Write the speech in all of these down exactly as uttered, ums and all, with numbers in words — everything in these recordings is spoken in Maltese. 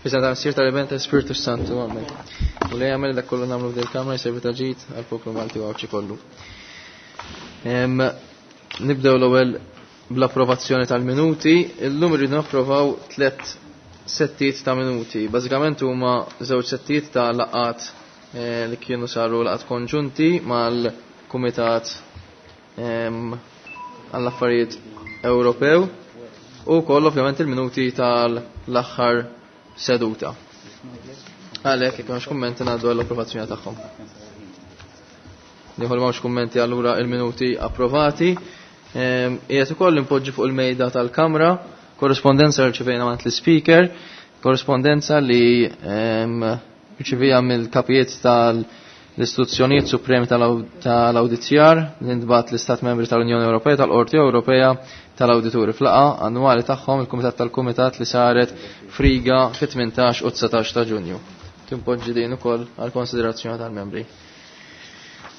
F'isem tal-Missier, tal-Iben, tal-Ispirtu Santu, amen. U li jagħmel dak kollu nagħmlu f'dil kamra jservi ta' ġid għall-poplu Malti u Għawdxi kollu. Nibdew l-ewwel bl-approvazzjoni tal-minuti. Illum irridu napprovaw tliet settijiet ta' minuti. Bażikament huma żewġ settijiet ta' laqgħat eh, li kienu saru laqgħat konġunti mal-Kumitat għall-Affarijiet Ewropew u koll ovvjament il-minuti tal-aħħar seduta. Għalhekk jekk m'hemmx kummenti ngħaddu għall-approvazzjoni tagħhom. Nieħu li m'hawnx kummenti, allura il-minuti approvati. Qiegħed ukoll impoġġi fuq il-mejda tal-Kamra korrespondenza rċevejna mant l-Speaker, korrespondenza li rċevija mill-kapijiet tal-istituzzjonijiet supremi tal-awditjar li ntbagħat l-Istat Membri tal-Unjoni Ewropea tal-Qorti Ewropea tal-Awdituri f'laqgħa annwali tagħhom il-Kumitat tal-Kumitat li saret f'Riga fit-tmintax u dsatax ta' Ġunju. Timpoġġi din ukoll għal konsiderazzjoni tal-membri.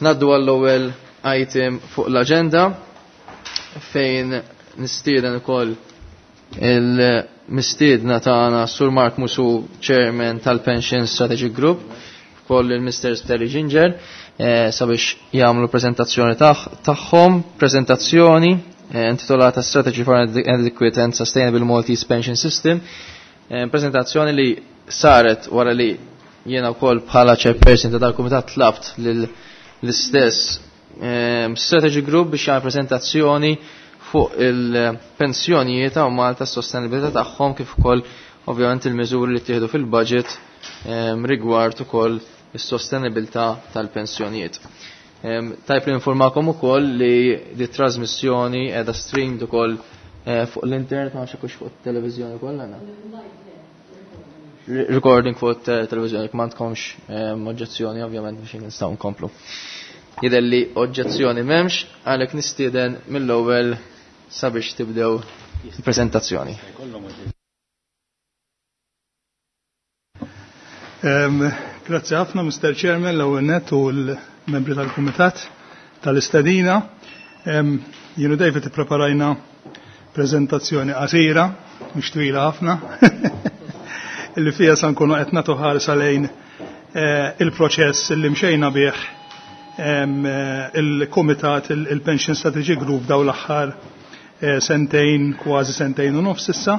Naddu għall-ewwel item fuq l-aġenda fejn nistieden ukoll il-mistiedna tagħna Sur Mark Musu, Chairman tal-Pension Strategy Group, ukoll il-Mister Terry Ginger, eh, sabiex jagħmlu prezentazzjoni tagħhom, prezentazzjoni eh, intitolata Strategy for an Adequate and Sustainable Maltese Pension System, eh, prezentazzjoni li saret wara li jiena wkoll bħala chairperson ta' dal-kumitat tlabt l-istess Strategy Group biex jagħmel prezentazzjoni fuq il-pensjonijiet ta' Malta, s-sostenibilità tagħhom, kif ukoll ovvjament il-miżuri li ttieħdu fil-budget rigward ukoll is-sostenibilità tal-pensjonijiet. Tajb li informakom ukoll li di trasmissjoni qiegħda streamed ukoll eh, fuq l-internet, ma nafx fuq it-televiżjoni ukoll għandna. Recording fuq it-televiżjoni, ma għandkomx oġġezzjoni ovvjament biex nistgħu nkomplu. Jidher li oġġezzjoni m'hemmx, għalhekk nistieden mill-ewwel sabiex tibdew il-prezentazzjoni. Grazzi ħafna, Mister Chairman, l-ewwel nett u l-membri tal-Kumitat tal-istedina. Jienu David ippreparajna prezentazzjoni qasira, mhux twila ħafna, illi fija sa nkunu qed nagħtu ħarsa lejn eh, il-proċess li mxejna bih il-Kumitat il-Pension Strategy Group daw l-aħħar eh, sentejn, kważi sentejn u nofs issa,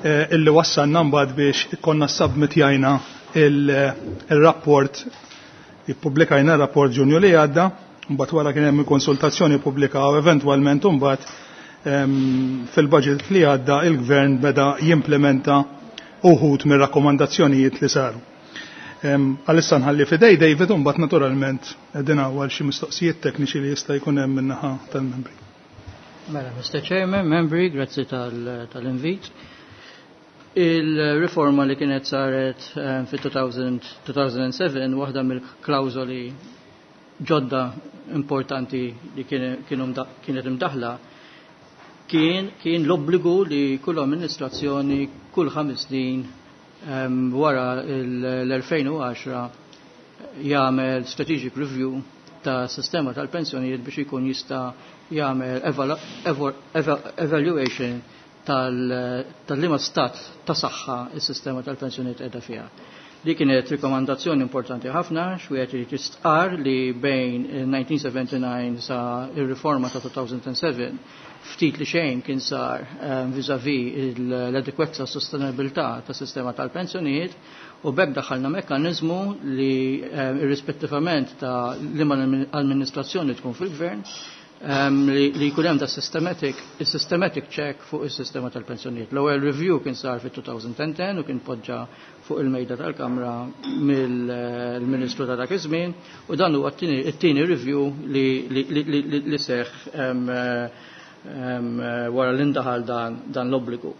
eh, illi wassalna mbagħad biex ikonna submitjajna il-rapport, ippubblikajna rapport Ġunju li għadda, mbagħad wara kien hemm konsultazzjoni pubblika u eventwalment mbagħad fil-budget li għadda il-gvern beda jimplementa uħud mir-rakkomandazzjonijiet li saru. Għalissa nħalli fidej David u mbagħad naturalment qegħdin għal xi mistoqsijiet tekniċi li jista' jkun hemm min-naħa tal-membri. Mela, Mister Chairman, membri, grazzi tal-invit. Il-riforma li kienet saret fi two thousand seven, waħda mill-klawżoli ġodda importanti li kienet imdaħla kien kien l-obbligu li kull amministrazzjoni kull ħames snin wara l-elfejn u għaxra jagħmel strategic review ta' sistema tal-pensjonijiet biex ikun jista' jagħmel evaluation tal-liema stat ta' saħħa is-sistema tal-pensjonijiet qiegħda fiha. Li kienet rikomandazzjoni importanti ħafna, xwieħed li tistqar li bejn nineteen seventy-nine sa ir-riforma ta' two thousand seven ftit li xejn kien sar um, vis-a-vis l-adekwezza sostenibilità ta' sistema tal-pensjonijiet u b'hekk daħalna mekkanizmu li um, irrispettivament ta' liema amministrazzjoni tkun fil-gvern um, li, li jkun hemm da systematic, systematic check fuq is-sistema tal-pensjonijiet. L-ewwel review kien sar fit-twenty ten u kien poġġa fuq il-mejda tal-Kamra mill-Ministru ta' dak iż-żmien u dan huwa t-tieni review li, li, li, li, li seħ um, um, wara l-indaħal dan, dan l-obbligu.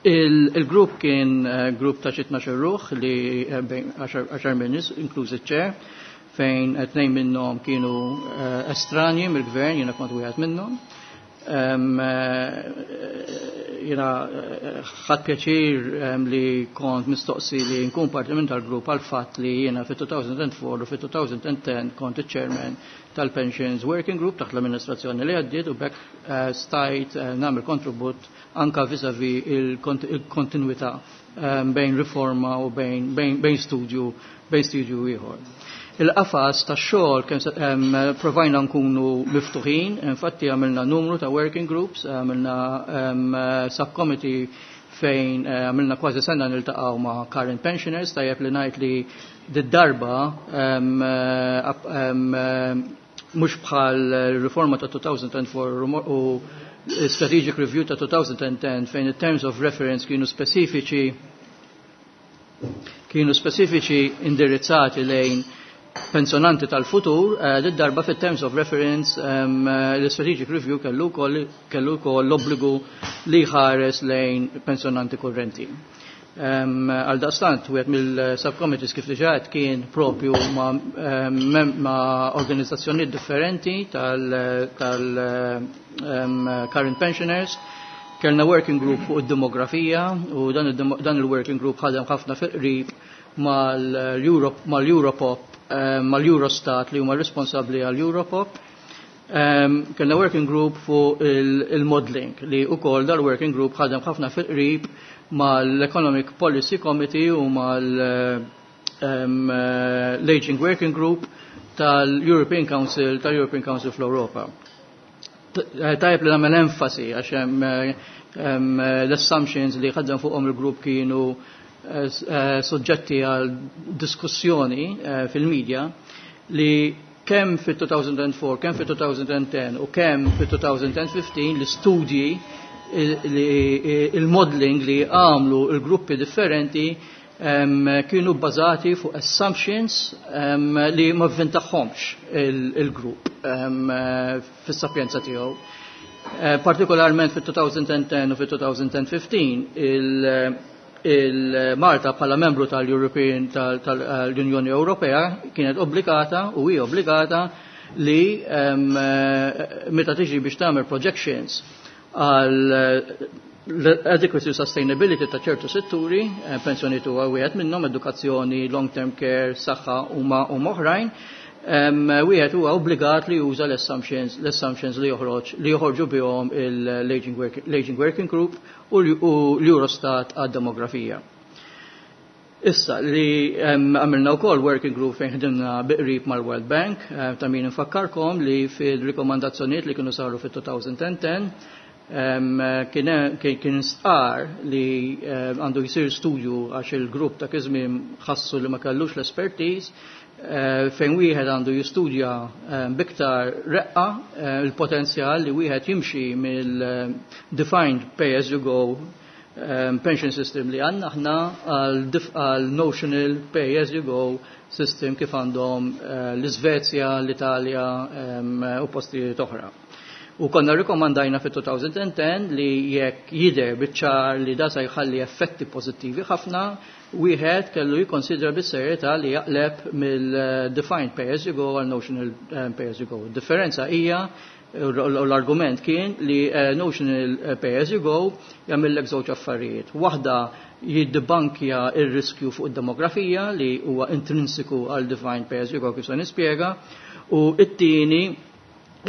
Il-grupp kien uh, grupp ta' xi tnax-il ruħ li bejn għaxar minnis, inkluż iċ-chair, fejn tnejn minnhom kienu uh, estranji mill-gvern, jiena kont wieħed minnhom. Um, jiena ħadt pjaċir um, li kont mistoqsi li nkun parti minn tal-grupp għal fatt li jiena fit-two thousand four u fit-twenty ten kont il-chairman tal-Pensions Working Group taħt l-amministrazzjoni li għaddiet u b'hekk eh, stajt eh, nagħmel kontribut anka vis-a-vis il-kontinuità eh, bejn riforma u bejn, bejn, bejn studju bejn studju ieħor. Il-qafas ta' xogħol kemm provajna nkunu miftuħin, infatti għamilna numru ta' working groups, għamilna subcommittee fejn għamilna kważi sena niltaqgħu ma' current pensioners, tajjeb li ngħid li d-darba mhux bħal riforma ta' elfejn u erbgħa u Strategic Review ta' elfejn u għaxra fejn il-terms of reference kienu speċifiċi kienu speċifiċi indirizzati lejn pensjonanti tal-futur, eh, darba fit terms of reference um, l-Strategic Review kellu kellu wkoll l-obbligu li ħares lejn pensjonanti kurrenti. Um, għal daqstant, wieħed mill-subcommittees kif diġà kien propju ma, um, ma organizzazzjonijiet differenti tal-current tal, um, pensioners. Kellna working group fuq id-demografija u dan il-working group ħadem ħafna fil-qrib mal-Europop, mal-Eurostat li huma responsabbli għal-Europop. Um, kellna working group fuq il-modeling li wkoll dal-working group ħadem ħafna fil-qrib mal-Economic Policy Committee u mal-Aging Working Group tal-European Council tal-European Council fl-Europa. Tajjeb li nagħmel enfasi għax hemm l-assumptions li ħadem fuqhom il-grupp kienu eh, eh, soġġetti għal diskussjoni eh, fil-medja li kemm fit-elfejn u erbgħa, kemm fit-elfejn u għaxra u kemm fit-elfejn u ħmistax l-istudji, il-modeling li għamlu il-gruppi differenti kienu bbażati fuq assumptions li ma vvintaħħomx il-grupp fis-sapjenza tiegħu. Eh, partikolarment fit-elfejn u għaxra u fit-elfejn u ħmistax il-Malta bħala membru tal-European tal-Unjoni Ewropea kienet obbligata u hi obbligata li meta tiġi biex tagħmel projections għal l-adequacy u sustainability ta' ċertu setturi, eh, pensjoni huwa wieħed minnhom, edukazzjoni, long-term care, saħħa huma u oħrajn, wieħed huwa obbligat li juża l-assumptions l-assumptions li joħroġ li joħorġu bihom l-Aging Working, Working Group u l-Eurostat għad-demografija. Issa li għamilna wkoll working group fejn ħdimna biqrib mal-World Bank, eh, ta' min infakkarkom li fil-rikomandazzjonijiet li kienu saru fit-elfejn u għaxra kien kien stqar li għandu jisir studju għax il-grupp ta' iż-żmien ħassu li ma kellux l-expertise eh, fejn wieħed għandu jistudja biktar reqqa eh, il-potenzjal li wieħed jimxi mill-defined pay as you go pension system li għandna aħna għal notional pay as you go system kif għandhom eh, l-Svezja, l-Italja u postijiet oħra. U konna rikomandajna fit-elfejn u għaxra li jekk jidher biċ-ċar li da se jħalli effetti pożittivi ħafna, wieħed kellu jikkonsidra bis-serjetà li jaqleb mill-defined pay as you go għal notional eh, pay as you go. Differenza hija u l-argument kien li eh, notional eh, pay as you go jagħmellek żewġ affarijiet. Waħda jiddibankja ir-riskju fuq id-demografija li huwa intrinsiku għal defined pay as you go kif se nispjega, u it-tieni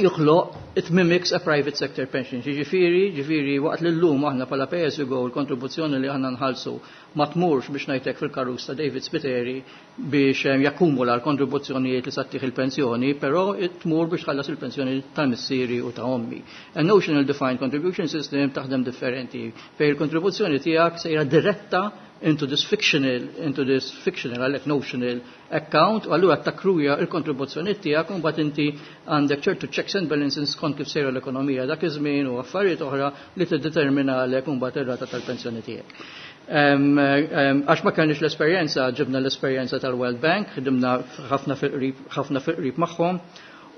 joħloq, it mimics a private sector pension. Ġifieri, ġifieri waqt li llum aħna bħala pay as you go l-kontribuzzjoni li aħna nħallsu ma tmurx biex ngħidlek fil-karus ta' David Spiteri biex eh, jakkumula l-kontribuzzjonijiet li sattih il-pensjoni, però tmur biex tħallas il-pensjoni tal-missieri u ta' ommi. A notional defined contribution system taħdem differenti fejn il-kontribuzzjoni tiegħek sejra diretta into this fictional, into this fictional, għalhekk notional account, u allura takkruja il-kontribuzzjoni tiegħek u mbagħad inti għandek ċertu checks and balances skont kif sejra l-ekonomija dak iż-żmien u affarijiet oħra li tiddetermina għalek u mbagħad ir-rata tal-pensjoni tiegħek. Għax ma kellniex l-esperjenza, ġibna l-esperjenza tal-World Bank, ħdimna ħafna fil-qrib fil-qrib magħhom,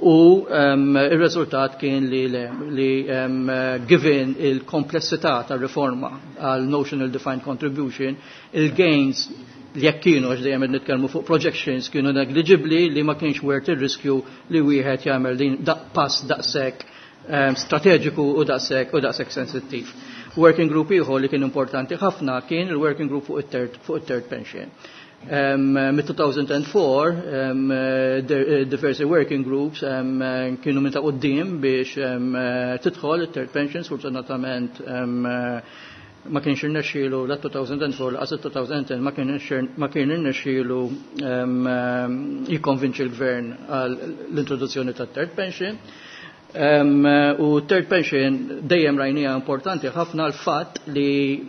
u il-rezultat kien li, li um, given il-komplessità tal-riforma għal notional defined contribution, il-gains li jekk kienu, għax dejjem nitkellmu fuq projections, kienu negligibli li ma kienx worth il-riskju li wieħed jagħmel din daq pass daqshekk um, strateġiku u daqshekk u daqshekk sensittiv. Working group ieħor li kien importanti ħafna kien il-working group fuq it-third fuq it-third pension. Um, Mid-two thousand four um, diversi working groups um, kienu minn ta' quddiem biex um, tidħol it-third pension. Sfortunatament um, ma kienx irnexxielu la two thousand four lanqas two thousand ten, ma kienx ma kien irnexxielu um, jikkonvinċi l-gvern għal l-introduzzjoni tat-third pension. Um, u third pension dejjem rajnija importanti ħafna, l-fatt li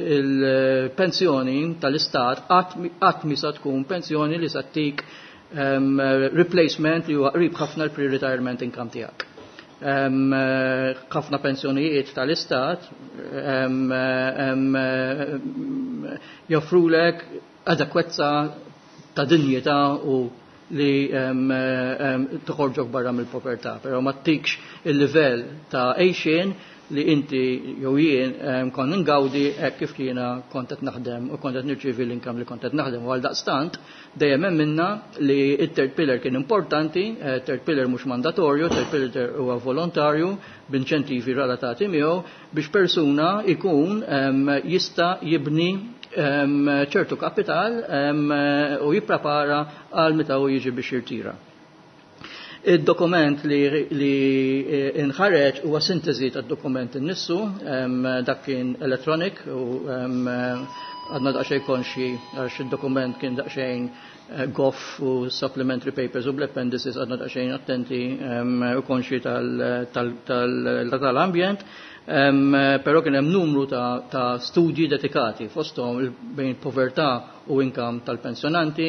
il-pensjoni il tal-istat qatt mi sa tkun pensjoni li sa ttik um, replacement li huwa qrib ħafna l-pre-retirement income tiegħek. Ħafna um, pensjonijiet tal-istat um, um, joffrulek adekwezza ta' dinjità u li um, um, toħorġok barra mill-povertà, però ma ttikx il-livell ta' għejxien li inti jew jien um, kont ngawdi hekk kif jiena kont qed naħdem u kont qed nirċievi l-income li kont qed naħdem. U għaldaqstant dejjem hemm minna li it-third pillar kien importanti, eh, third pillar mhux mandatorju, third pillar huwa volontarju b'inċentivi relatati miegħu biex persuna ikun um, jista' jibni ċertu kapital u jipprepara għal meta u jiġi biex jirtira. Il-dokument li, li inħareġ huwa sintesi tad-dokument innifsu, dak kien electronic u għadna daqsxejn konxi għax il-dokument kien daqsxejn eh, goff u supplementary papers u bl-appendices, għadna daqsxejn attenti u konxi tal-ambjent. Um, però kien hemm numru ta', ta studji dedikati fosthom bejn povertà u income tal-pensjonanti.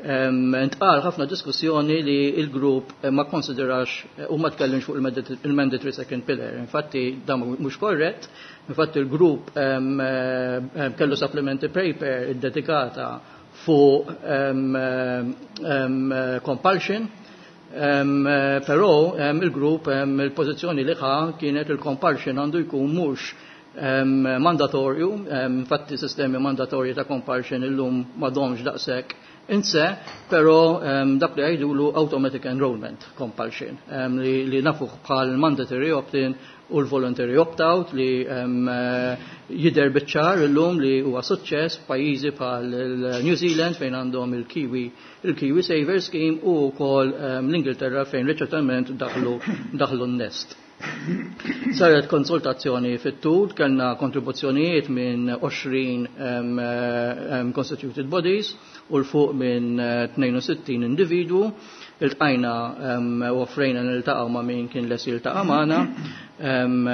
Um, intqal ħafna diskussjoni li il-grupp ma konsiderax u ma tkellimx fuq il-mandatory second pillar. Infatti dan mhux korrett, infatti il-grupp um, um, kellu supplementary paper dedikata fuq um, um, compulsion. Um, però um, il-grupp um, il-pożizzjoni li ħa kienet il-compulsion għandu jkun mhux um, mandatorju, um, infatti sistemi mandatorji ta' compulsion illum m'għadhomx daqshekk inse, però um, dak li jgħidulu automatic enrollment compulsion, um, li, li nafuh bħal mandatory opt-in u l-voluntary opt-out li um, jidher biċ-ċar illum li huwa suċċess pajjiżi bħal New Zealand fejn għandhom il-Kiwi il-Kiwi Saver Scheme u wkoll um, l-Ingilterra fejn riċentament daħlu daħlu n-Nest. Saret konsultazzjoni fit-tul, kellna kontribuzzjonijiet minn għoxrin um, um, constituted bodies u 'l fuq minn tnejn u sittin individwu. Iltqajna um, u offrejna niltaqgħu ma' min kien lest jiltaqa' magħna. Um,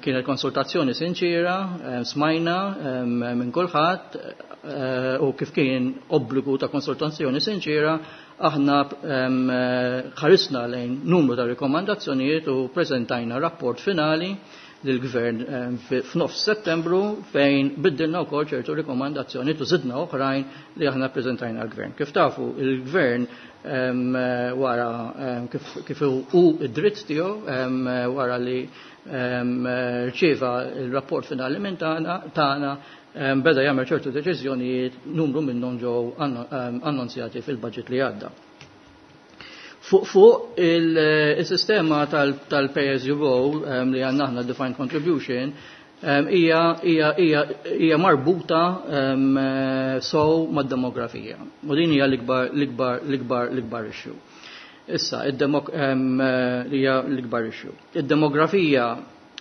kienet konsultazzjoni sinċira, um, smajna um, minn kulħadd uh, u kif kien obbligu ta' konsultazzjoni sinċira, aħna um, ħarisna lejn numru ta' rikomandazzjonijiet u preżentajna rapport finali lill-gvern f'nofs Settembru fejn biddilna wkoll ċertu rikomandazzjoni u żidna oħrajn li aħna preżentajna l-gvern. Kif tafu, il-gvern wara kif, kif hu id-dritt tiegħu, wara li rċieva il-rapport finali minn tagħna, beda jagħmel ċertu deċiżjonijiet, numru minnhom ġew annunzjati fil-budget li għadda. Fuq fuq il-sistema tal-pay as you go li għandna aħna, defined contribution, hija hija hija hija marbuta so mad-demografija. U din hija l-ikbar l-ikbar l-ikbar l-ikbar issue. Issa, hija l-ikbar issue. Id-demografija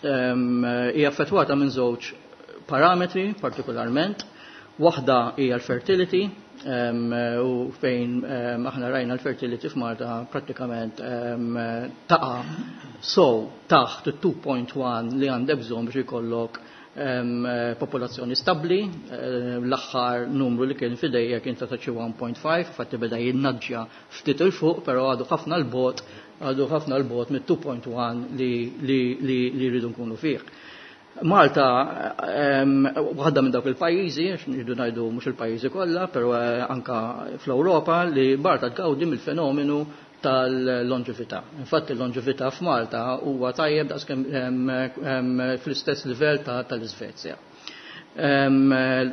hija affettwata minn żewġ parametri partikolarment. Waħda hija l-fertility, um, u fejn um, aħna rajna l-fertility f'Malta prattikament um, taqa so taħt it-two point one li għandek bżonn biex ikollok um, popolazzjoni stabli. L-aħħar numru li kien f'idejja kien ta' xi one point five, fatti beda jinnaġġja ftit 'il fuq, però għadu ħafna 'l bogħod għadu ħafna 'l bogħod mit-two point one li, li, li, li rridu nkunu fih. Malta, waħda minn dawk il-pajjiżi, għax nridu ngħidu mhux il-pajjiżi kollha, però anka fl-Ewropa li Malta tgawdi mill-fenomenu tal-longevità. Infatti l-longevità f'Malta huwa tajjeb daqskemm fl-istess livell tal-Iżvezja.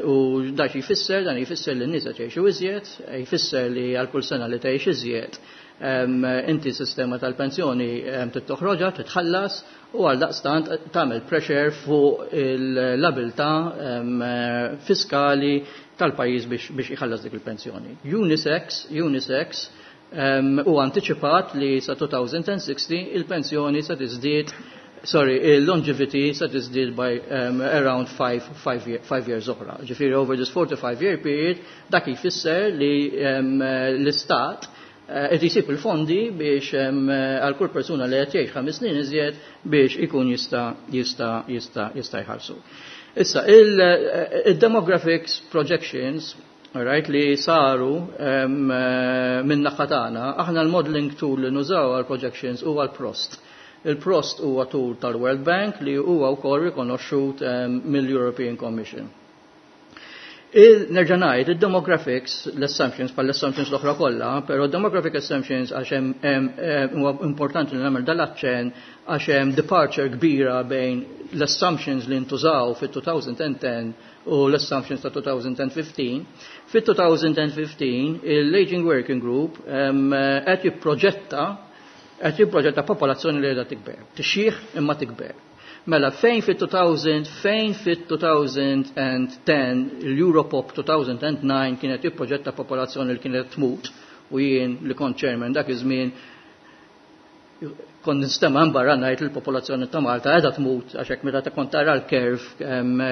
U dak jfisser, dan jfisser li n-nies jgħixu iżjed, jfisser li għal kull sena li tgħix iżjed Inti sistema tal-pensjoni tittoħroġha, titħallas u għal daqstant tagħmel pressure fuq l-abilità fiskali tal-pajjiż biex iħallas dik il-pensjoni. Unisex, Unisex u antiċipat li sa elfejn u sittin il-pensjoni sa tiżdied, sorry, il-longevity sa tiżdied by um, around five years oħra. Ġifieri over this forty-five year period dak jfisser li um, l-istat qed uh, jsib il-fondi biex għal kull persuna li qed jgħix ħames snin iżjed biex ikun jista' jista' jista' jista' jħallsu. Issa, il-demographics projections, right, li saru um, minn naħa tagħna, aħna l-modeling tool li nużaw għal projections huwa l-PROST. Il-PROST huwa tool tal-World Bank li huwa wkoll rikonoxxut um, mill-European Commission. Nerġa' ngħid, il-demographics, l-assumptions, bħal l-assumptions l-oħra kollha, però demographic assumptions għax hemm huwa importanti li nagħmel dal-aċċenn għax hemm departure kbira bejn l-assumptions li ntużaw fit-elfejn u għaxra u l-assumptions ta' elfejn u ħmistax. Fit-elfejn u ħmistax il-Aging Working Group qed jipproġetta qed jipproġetta popolazzjoni li qiegħda tikber. Tixjih imma tikber. Mela fejn fit-elfejn fejn fit-elfejn u għaxra l-Europop elfejn u disa' kienet jipproġetta popolazzjoni li kienet tmut u jien li kont chairman dak iż-żmien kont nistema' barra ngħid il-popolazzjoni ta' Malta qiegħda tmut għax hekk meta kont tara l-curve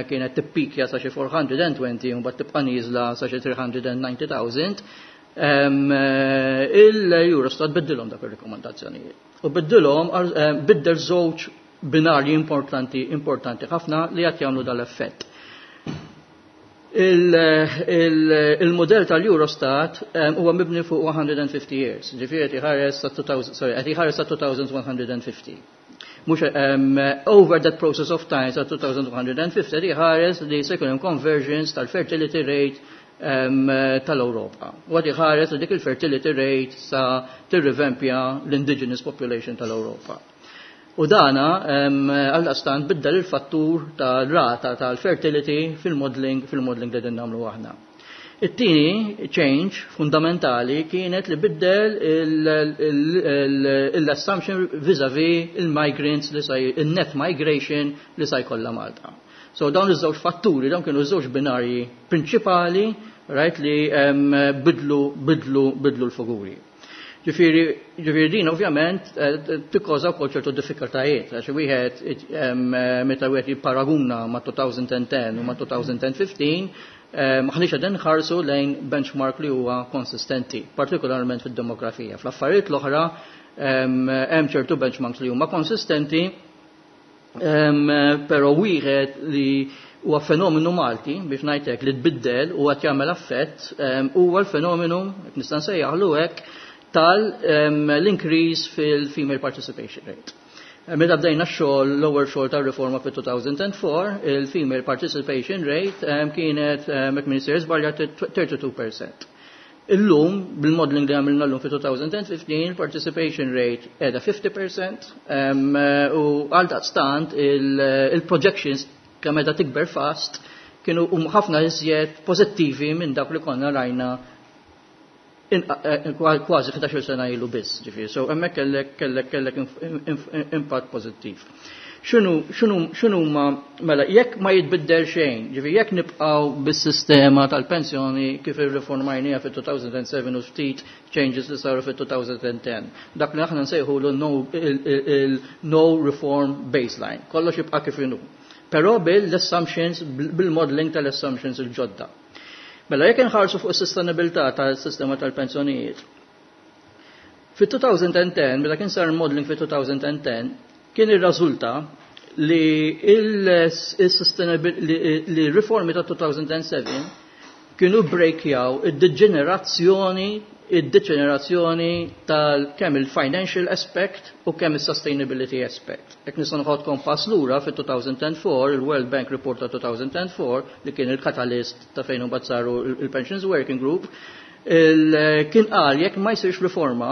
kienet tippikja sa xi erba' mija u għoxrin u mbagħad tibqa' nieżla sa xi tliet mija u disgħin elf. Il-Eurostat biddilhom dak ir-rekomandazzjonijiet. U biddilhom biddel żewġ binarji importanti importanti ħafna li qed jagħmlu dal-effett. Il-modell tal-Eurostat huwa mibni fuq one hundred fifty years, ġifieri qed iħares sa sorry, qed iħares sa twenty fifty. Mhux um, over that process of time sa twenty fifty qed iħares li se jkun hemm conversions tal-fertility rate um, tal-Ewropa. U qed iħares li dik il-fertility rate sa tirrivempja l-indigenous population tal-Ewropa. U dana għal-dastan biddel il-fattur tal-rata tal-fertility fil-modeling fil-modeling li din nagħmlu aħna. It-tieni change fundamentali kienet li biddel l-assumption vis-a-vis il-migrants li sa il-net migration li sa jkollha Malta. So dawn iż-żewġ fatturi, dawn kienu żewġ binarji prinċipali, right, li bidlu bidlu bidlu l-figuri. Ġifieri, ġifieri din ovvjament tikkoża wkoll ċertu diffikultajiet, għax wieħed meta wieħed jipparaguna ma' elfejn u għaxra u ma' elfejn u ħmistax, maħniex qegħdin nħarsu lejn benchmark li huwa konsistenti, partikolarment fid-demografija. Fl-affarijiet l-oħra hemm ċertu benchmarks li huma konsistenti, però wieħed li huwa fenomenu Malti biex ngħidlek li tbiddel u qed jagħmel affett huwa l-fenomenu, nista' nsejjaħlu hekk, tal-increase fil-female participation rate. Meta bdejna x-xogħol, l-ewwel xogħol tar-riforma fit-elfejn u erbgħa, il-female participation rate kienet, jekk m'iniex żbaljat, tlieta u tletin fil-mija. Illum, bil-modeling li għamilna l-lum fit-elfejn u ħmistax, il-participation rate qiegħda ħamsin fil-mija u għal daqstant il-projections kemm qiegħda tikber fast kienu ħafna iżjed pożittivi minn dak li konna rajna kważi ħdax-il sena ilu biss, ġifieri. So hemmhekk kellek kellek kellek impatt pożittiv. X'inhu x'inhu x'inhu ma mela jekk ma jitbiddel xejn, ġifieri jekk nibqgħu bis-sistema tal-pensjoni kif irriformajniha fit-elfejn u sebgħa u ftit changes li saru fit-elfejn u għaxra. Dak li aħna nsejħu no reform baseline. Kollox jibqa' kif inhu. Però bil-assumptions, bil-modeling tal-assumptions il-ġodda. Mela jekk inħarsu fuq is-sustenabilità tas-sistema tal-pensjonijiet. Fit-elfejn u għaxra, meta kien sar modeling fit-elfejn u għaxra, kien irriżulta li li riformi ta' elfejn u sebgħa kienu breakjaw id-deġenerazzjoni id-deġenerazzjoni tal kemm il-financial aspect u kemm il-sustainability aspect. Jekk nista' noħodkom pass lura fit-elfejn u erbgħa, il-World Bank Report ta' elfejn u erbgħa li kien il-catalyst ta' fejn imbagħad saru il-Pensions Working Group, kien qal jekk ma jsirx riforma,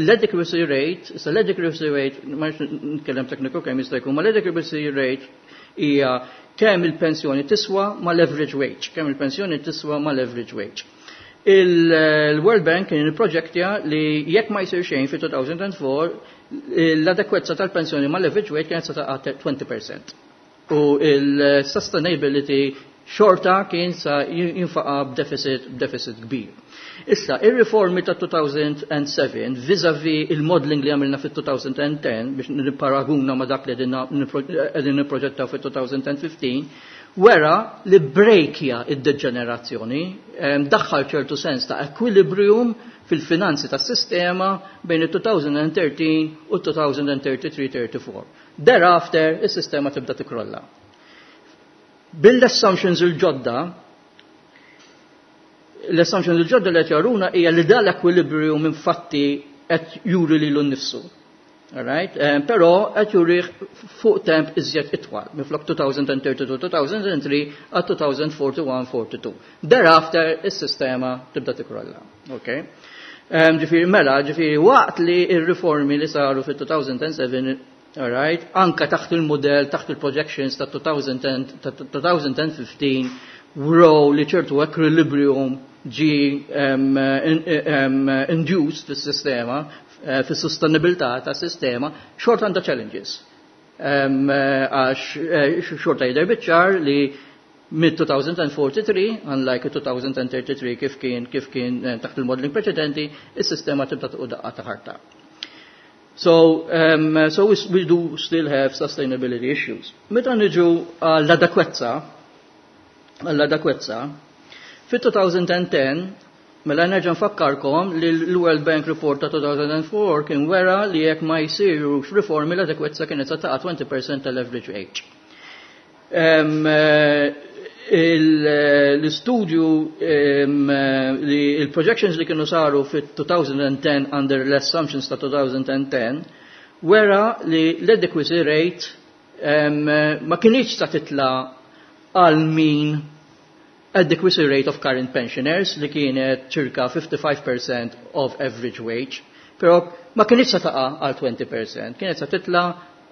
l-adequacy rate, issa l-adequacy rate, ma nitkellem tekniku kemm jista' jkun, ma l-adequacy rate hija kemm il-pensjoni tiswa ma l-average wage, kemm il-pensjoni tiswa ma l-average wage. Il-World Bank kien ipproġettja li jekk ma jsir xejn fi two thousand four, l-adekwezza tal-pensjoni ma l-average wage kienet sa taqa' twenty percent. U il-sustainability xorta kien sa jinfaqa b'deficit b'deficit kbir. Issa, ir-riformi ta' two thousand seven vis-a-vis il-modeling li għamilna fit-twenty ten, biex nipparaguna ma' dak li qegħdin nipproġettaw fit-twenty fifteen, wera li breakja id-deġenerazzjoni, daħħal ċertu sens ta' equilibrium fil-finanzi tas sistema bejn il-twenty thirteen u twenty thirty-three thirty-four. Thereafter, is-sistema tibda tikrolla. Bil-assumptions il-ġodda, l-assumptions il-ġodda li qed jaruna hija li dal equilibrium infatti qed juri lilu nnifsu. Alright? Um, però qed juri fuq temp iżjed itwal, minflok twenty thirty-two two thousand three għal twenty forty-one forty-two. Thereafter, is-sistema tibda tikrolla. Okay? Um, ġifieri, mela, ġifieri, waqt li il-riformi li saru fit-two thousand seven, alright, anka taħt il-modell, taħt il-projections ta' twenty fifteen, wrew li ċertu equilibrium ġi um, in, um, induced fis-sistema, eh, fis-sostenibilità ta' sistema, xorta għandha challenges. Um, għax eh, xorta jidher biċ-ċar li mid-twenty forty-three, unlike twenty thirty-three kif kien kif kien eh, taħt il-modeling preċedenti, is-sistema tibda tuq daqqa ta' ħarta. So, um, so we, we do still have sustainability issues. Meta niġu għall-adekwezza, għall-adekwezza, fit-twenty ten, mela nerġa' nfakkarkom li l-World Bank Report ta' two thousand four kien wera li jekk ma jsirux riformi, l-adekwezza kienet sa taqa' twenty percent tal-average age. Um, l-istudju li il-projections li kienu saru fit-twenty ten under l-assumptions ta' twenty ten wera li l-adequacy rate um, ma kinitx ta' titla għal mean adequacy rate of current pensioners li kienet circa fifty-five percent of average wage, pero ma kinitx sa taqa għal twenty percent, kienet sa titla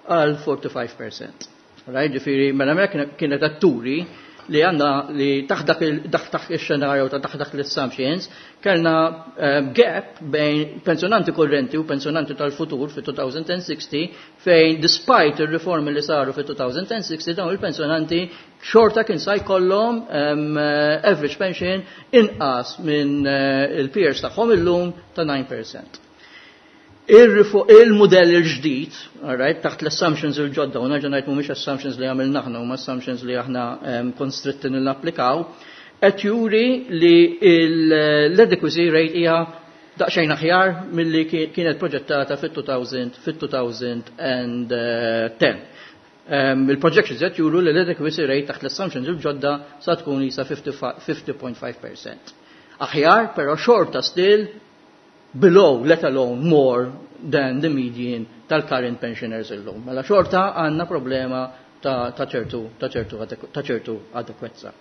għal forty-five percent. Right, ġifieri, mela mela kienet atturi li għandna li taħt dak taħt il-xenarju ta' taħt dak l-assumptions kellna uh, gap bejn pensjonanti korrenti u pensjonanti tal-futur fi twenty sixty, fejn despite il-riformi li saru fi twenty sixty, dawn il-pensjonanti xorta kien sa jkollhom um, average pension inqas minn uh, il-peers tagħhom illum ta' nine percent. Il-modell il-ġdid, alright, taħt l-assumptions il-ġodda, u nerġa' ngħid mhumiex assumptions li għamilna aħna, huma assumptions li aħna konstritti nil-applikaw, qed juri li l-adequacy rate hija daqsxejn aħjar milli kienet proġettata fit-two thousand fit-twenty ten. Il-projections qed juru li l-adequacy rate taħt l-assumptions il-ġodda sa tkun jisa fifty point five percent. Aħjar, però xorta still below, let alone more than the median tal-current pensioners illum. Mela xorta għandna problema ta' ċertu ta' ċertu ta' ċertu adekwezza.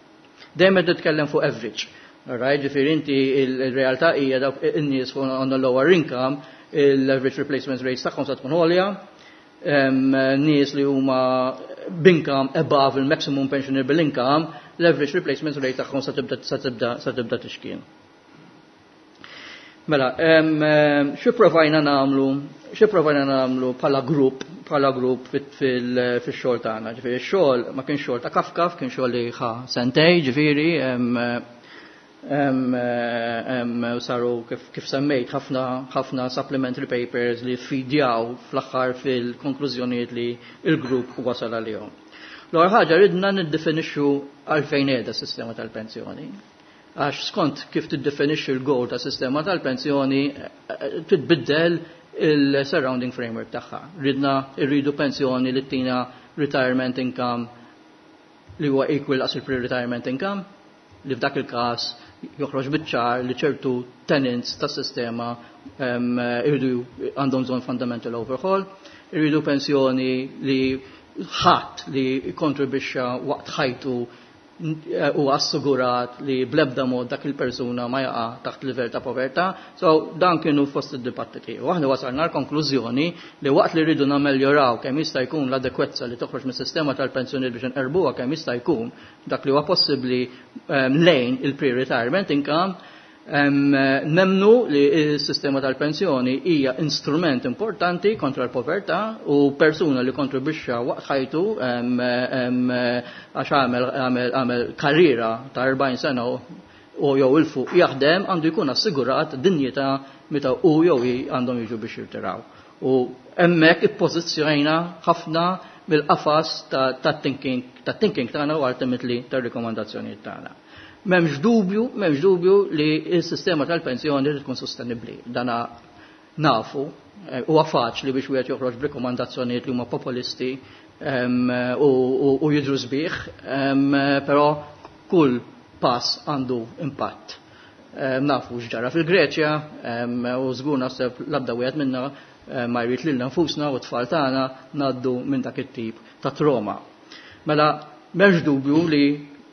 Dejjem qed nitkellem fuq average. Alright, ġifieri inti il-realtà hija dawk in-nies fuq on the lower income, il-average replacement rates tagħhom sa tkun għolja, nies li huma b'income above il-maximum pensionable income, l-average replacement rate tagħhom sa tibda sa tibda sa tibda tixkien. Mela, xi provajna nagħmlu, xi provajna nagħmlu bħala grupp, bħala grupp fil-xogħol tagħna? Ġifieri x-xogħol ma kienx xogħol ta' kafkaf, kien xogħol li ħa sentej, ġifieri saru kif, kif semmejt ħafna ħafna supplementary papers li fidjaw fl-aħħar fil-konklużjonijiet li il-grupp wasal għalihom. L-ewwel ħaġa, ridna niddefinixxu għalfejn qiegħda s-sistema tal-pensjoni. Għax skont kif tiddefinixxi l-goal ta' sistema tal-pensjoni, titbiddel il-surrounding framework tagħha. Ridna irridu pensjoni li tina retirement income li huwa equal as il-pre-retirement income, li f'dak il-każ joħroġ biċ-ċar li ċertu tenets tas sistema irridu għandhom bżonn fundamental overhaul. Irridu pensjoni li ħadd li kontribwixxa waqt ħajtu u assugurat li blebda mod dak il-persuna ma jaqa' taħt livell ta' povertà. So dan kienu fost id-dibattiti. U aħna wasalna l-konklużjoni li waqt li rridu nameljoraw kemm jista' jkun l-adekwezza li toħroġ mis-sistema tal-pensjoni biex nqerbuha kemm jista' jkun dak li huwa possibbli lejn il-pre-retirement income, Nemmnu li s-sistema tal-pensjoni hija instrument importanti kontra l-povertà u persuna li kontribwixxa waqt ħajtu, għax għamel għamel karriera ta' erbgħin sena u jew 'il fuq jaħdem, għandu jkun assigurat dinjità meta u jew għandhom jiġu biex jirtiraw. U hemmhekk ippożizzjonajna ħafna mill-qafas ta' thinking ta' thinking tagħna u ultimately tar-rikomandazzjonijiet tagħna. M'hemmx dubju, m'hemmx dubju li s-sistema tal-pensjoni trid tkun sostenibbli. Dana nafu, eh, huwa faċli biex wieħed joħroġ b'rikomandazzjonijiet li huma populisti u jidhru sbieħ, però kull pass għandu impatt. Nafu x'ġara fil-Greċja u żgur naħseb l-abda wieħed minna ma jrid lilna nfusna u t-tfal tagħna ngħaddu minn dak it-tip ta' trauma. Mela m'hemmx dubju li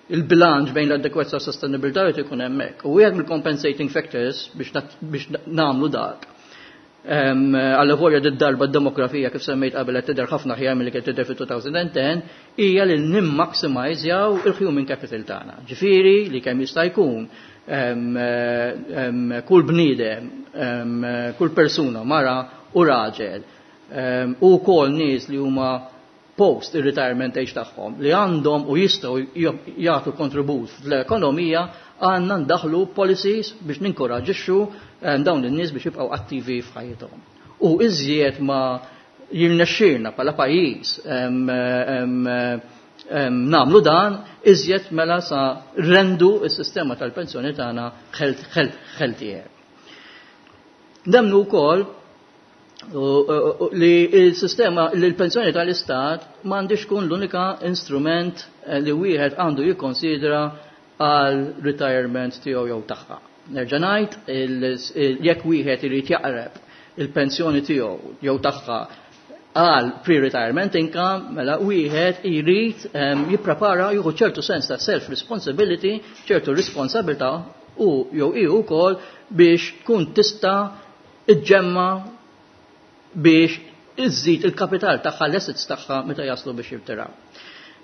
il-bilanċ bejn l-adekwezza u sostenibilità jrid ikun hemmhekk. U wieħed mill-compensating factors biex nagħmlu dak, għalvolja d-darba d-demografija, kif semmejt qabel, qed tidher ħafna aħjar milli kien tidher fil-elfejn u għaxra, hija li nimmaximizjaw il-human capital tagħna. Ġifieri li kemm jista' jkun kull bniedem, kull persuna, mara u raġel, u kol nies li huma post il-retirement age tagħhom li għandhom u jistgħu jagħtu kontribut fl-ekonomija, għandna ndaħlu policies biex ninkoraġixxu dawn in-nies biex jibqgħu attivi f'ħajjithom. U iżjed ma jirnexxirna bħala pajjiż nagħmlu dan, iżjed mela sa nrendu s-sistema tal-pensjoni tagħna healthier. Nemmnu wkoll li il-sistema li l-pensjoni tal-istat m'għandix tkun l-unika instrument eh, li wieħed għandu jikkonsidra għal retirement tiegħu jew tagħha. Nerġa' ngħid, jekk wieħed irid jaqreb il-pensjoni tiegħu jew tagħha għal pre-retirement income, mela wieħed irid jipprepara, jieħu ċertu sens ta' self-responsibility, ċertu responsabilità u jew ihu wkoll biex tkun tista' iġġemma biex iżżid il-kapital tagħha, l-assets tagħha meta jaslu biex jirtiraw.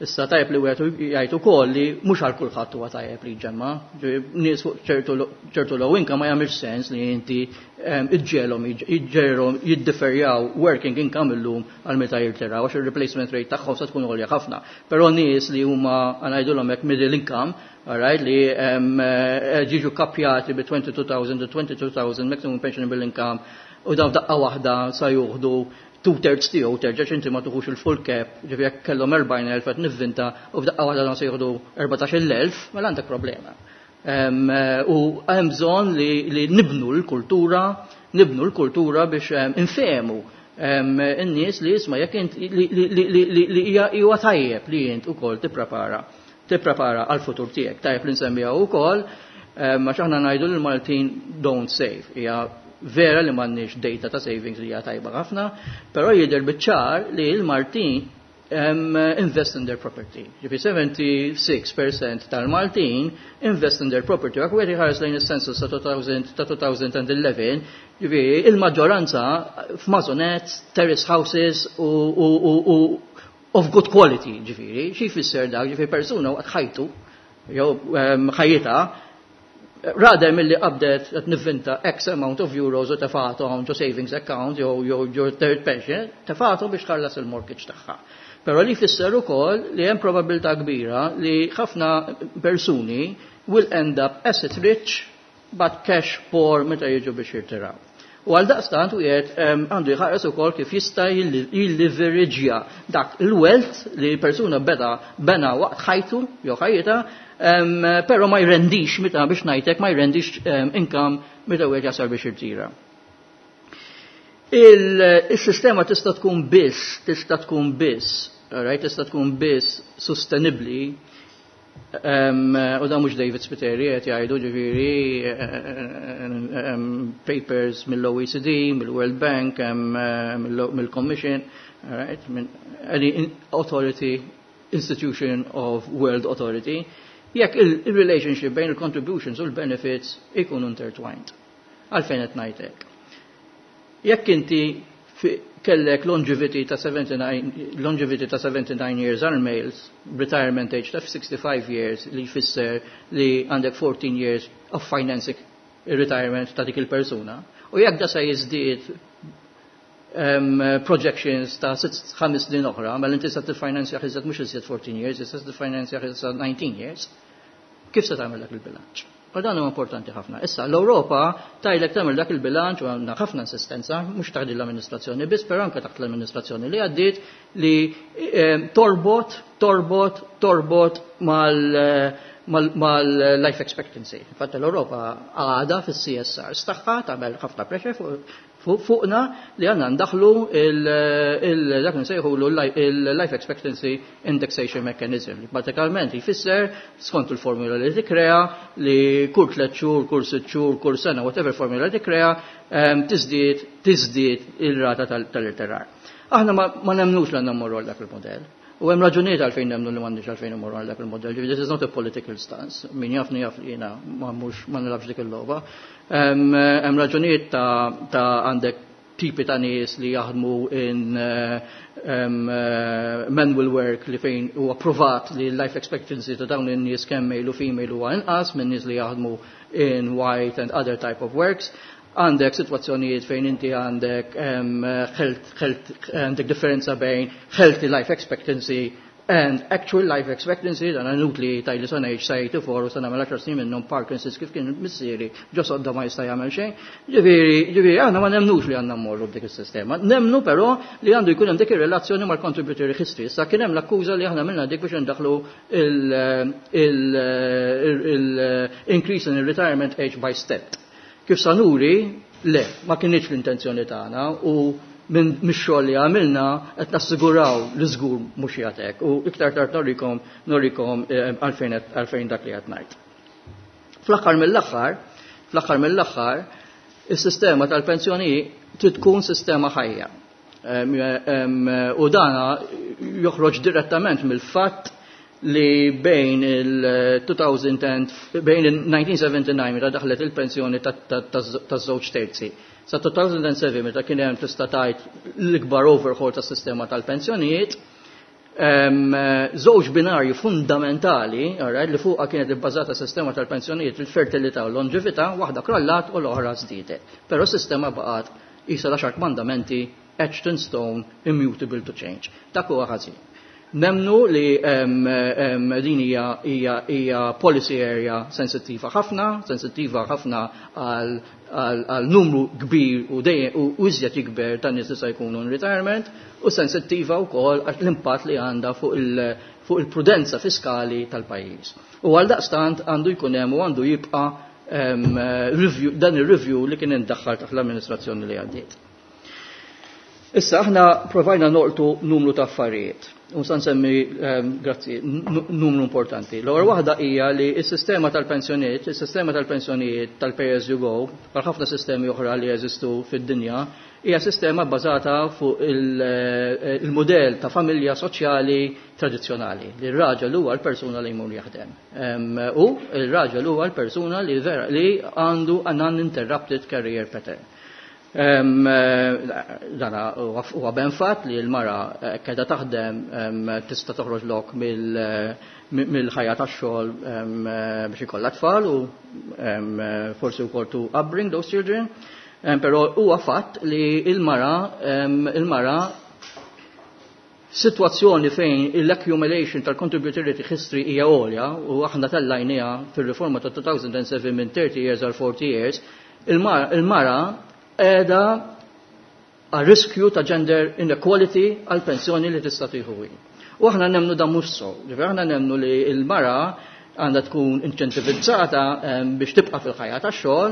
Issa tajjeb li wieħed jgħid ukoll li mhux għal kulħadd huwa tajjeb li jġemma. Nies fuq ċertu low income ma jagħmilx sens li inti iġġelhom iġġelhom jiddeferjaw working income illum għal meta jirtiraw, għax il-replacement rate tagħhom se tkun għolja ħafna. Però nies li huma, ngħidulhom hekk, middle income, alright, li ġiġu kapjati bi twenty-two thousand u twenty-two thousand maximum pensionable income u dawn daqqa waħda sa juħdu two thirds tiegħu terġa' inti ma tuħux il-full cap, ġifieri jekk kellhom erbgħin elf, qed nivvinta, u f'daqqa waħda dawn se jieħdu erbatax-il elf, mela għandek problema. U hemm bżonn li nibnu l-kultura, nibnu l-kultura biex infehmu in-nies li jisma' jekk int li huwa tajjeb li int ukoll tipprepara tipprepara għal-futur tiegħek. Tajjeb li nsemmiha wkoll, ma aħna ngħidu li l-Maltin don't save. Hija vera li m'għandniex data ta' savings li hija tajba ħafna, però jidher biċ-ċar li l-Maltin um, invest in their property. Ġifi sebgħa u sebgħin fil-mija tal-Maltin invest in their property. Jekk wieħed iħares lejn is-census ta' elfejn u għaxra, ġifi il-maġġoranza f'maisonettes, terrace houses u, u, u, u of good quality, ġifieri, xi jfisser dak? Ġifieri persuna waqt ħajtu, jew ħajjitha, rather milli qabdet, qed nivvinta, X amount of euros u tefgħathom ġo savings account jew jew ġo third pension, tefgħathom biex tħallas il-mortgage tagħha. Però li jfisser ukoll li hemm probabilità kbira li ħafna persuni will end up asset rich but cash poor meta jiġu biex jirtiraw. U għal daqstant u jgħed għandu jħares ukoll kif jista' jilliveriġja dak il-wealth li persuna beda bena waqt ħajtu jew ħajjitha, però ma jrendix meta, biex ngħidlek, ma jrendix income meta wieħed jasal biex jirtira. Il-sistema tista' tkun biss, tista' tkun biss, right, tista' tkun biss sostenibbli, u da mhux David Spiteri qed jgħidu, ġifieri papers mill-O E C D, mill-World Bank, mill-Commission, right, minn any authority, institution of world authority, jekk il-relationship bejn il-contributions u l-benefits ikunu intertwined. Għalfejn qed ngħidlek? Jekk inti kellek longevity ta' seventy-nine, longevity ta' seventy-nine years għal males, retirement age ta' sixty-five years, li jfisser li għandek fourteen years of financing il-retirement ta' dik il-persuna. U jekk da se jiżdied um, projections ta' sitt ħames snin oħra, mela inti se tiffinanzja iżjed mhux iżjed fourteen years, issa se tiffinanzja iżjed nineteen years, kif se tagħmel dak il-bilanċ? U dan huwa importanti ħafna. Issa l-Ewropa tgħidlek tagħmel dak il-bilanċ u għandna ħafna insistenza, mhux taħt l-amministrazzjoni biss, però anke taħt l-amministrazzjoni li għaddiet li eh, torbot, torbot, torbot mal mal-life expectancy. Infatti l-Ewropa għada fis-C S R tagħha tagħmel ħafna pressure fuqna li għandna ndaħlu dak nsejħulu il-life expectancy indexation mechanism. Li pratikament jfisser skont il-formula li tikkrea li kull tliet xhur, kull sitt xhur, kull sena, whatever formula li tikkrea, tiżdied tiżdied il-rata tal-irtirar. Aħna ma nemnux li għandna mmorru għal dak il-modell. U hemm raġunijiet għalfejn nemnu li m'għandniex għalfejn immorru għal dak il-modell. Ġifieri this is not a political stance. Min jafni jaf li jiena ma mhux ma nilgħabx dik il-logħba. Hemm raġunijiet ta' għandek tipi ta' nies li jaħdmu in manual work li fejn huwa provat li l-life expectancy ta' dawn in-nies kemm male u female huwa inqas minn nies li jaħdmu in white and other type of works. Għandek situazzjonijiet fejn inti għandek għandek differenza bejn healthy life expectancy and actual life expectancy. Dan inutli tgħidli sa ngħix sa eighty-four u sa nagħmel għaxar snin minnhom Parkinson's kif kien missieri ġo sodda ma jista' jagħmel xejn. Ġifieri, ġifieri aħna ma nemnux li għandna mmorru b'dik is-sistema. Nemnu però li għandu jkun hemm dik ir-relazzjoni mal-contributory history. Sa kien hemm l-akkuża li aħna għamilna dik biex indaħlu il-increase in retirement age by step. Kif sa nuri, le, ma kienx l-intenzjoni tagħna u minn mix-xogħol li għamilna qed nassiguraw li żgur mhux jagħtek u iktar tard norikom norikom għalfejn għalfejn dak li qed ngħid. Fl-aħħar mill-aħħar, fl-aħħar mill-aħħar, is-sistema tal-pensjoni trid tkun sistema ħajja. U dana joħroġ direttament mill-fatt li bejn il-two thousand bejn il-nineteen seventy-nine meta daħlet il-pensjoni taż-żewġ terzi sa two thousand seven meta kien hemm tista' tgħid l-ikbar overhaul tas-sistema tal-pensjonijiet, żewġ binarju fundamentali, alright, li fuqha kienet ibbażata sistema tal-pensjonijiet, il-fertilità u l-longevità, waħda krollat u l-oħra żdiedet. Però s-sistema baqgħet qisha l-għaxar kmandamenti, etched in stone, immutable to change. Dak huwa ħażin. Nemnu li din hija hija policy area sensittiva ħafna, sensittiva ħafna għal numru kbir u dejjem u iżjed jikber ta' nies li se jkunu in retirement u sensittiva wkoll għal l-impatt li għandha fuq il fuq il-prudenza fiskali tal-pajjiż. U għal daqstant għandu jkun hemm u għandu jibqa' review, dan ir-review li kien indaħħal taħt l-amministrazzjoni li għaddiet. Issa aħna provajna nolqtu numru ta' affarijiet. U sa nsemmi, grazzi, numru importanti. L-ewwel waħda hija li s-sistema tal-pensjonijiet, is-sistema tal-pensjonijiet tal-pay as you go, bħal ħafna sistemi oħra li jeżistu fid-dinja, hija sistema bbażata fuq il-mudell ta' familja soċjali tradizzjonali, li r-raġel huwa l-persuna li jmur jaħdem. U r-raġel huwa l-persuna li vera li għandu an uninterrupted career pattern. Dana huwa ben fatt li l-mara qiegħda taħdem tista' toħroġ lok mill-ħajja tax-xogħol biex ikollha tfal u forsi wkoll to upbring those children. Però huwa fatt li il-mara il-mara situazzjoni fejn l-accumulation tal-contributory history hija għolja u aħna tellajniha fil-riforma ta' two thousand seven minn thirty years għal forty years, il-mara qiegħda għal riskju ta' gender inequality għal pensjoni li tista' tieħu. U aħna nemnu dan mhux so. Ġifieri aħna nemnu li l-mara għandha tkun inċentivizzata biex tibqa' fil-ħajja tax-xogħol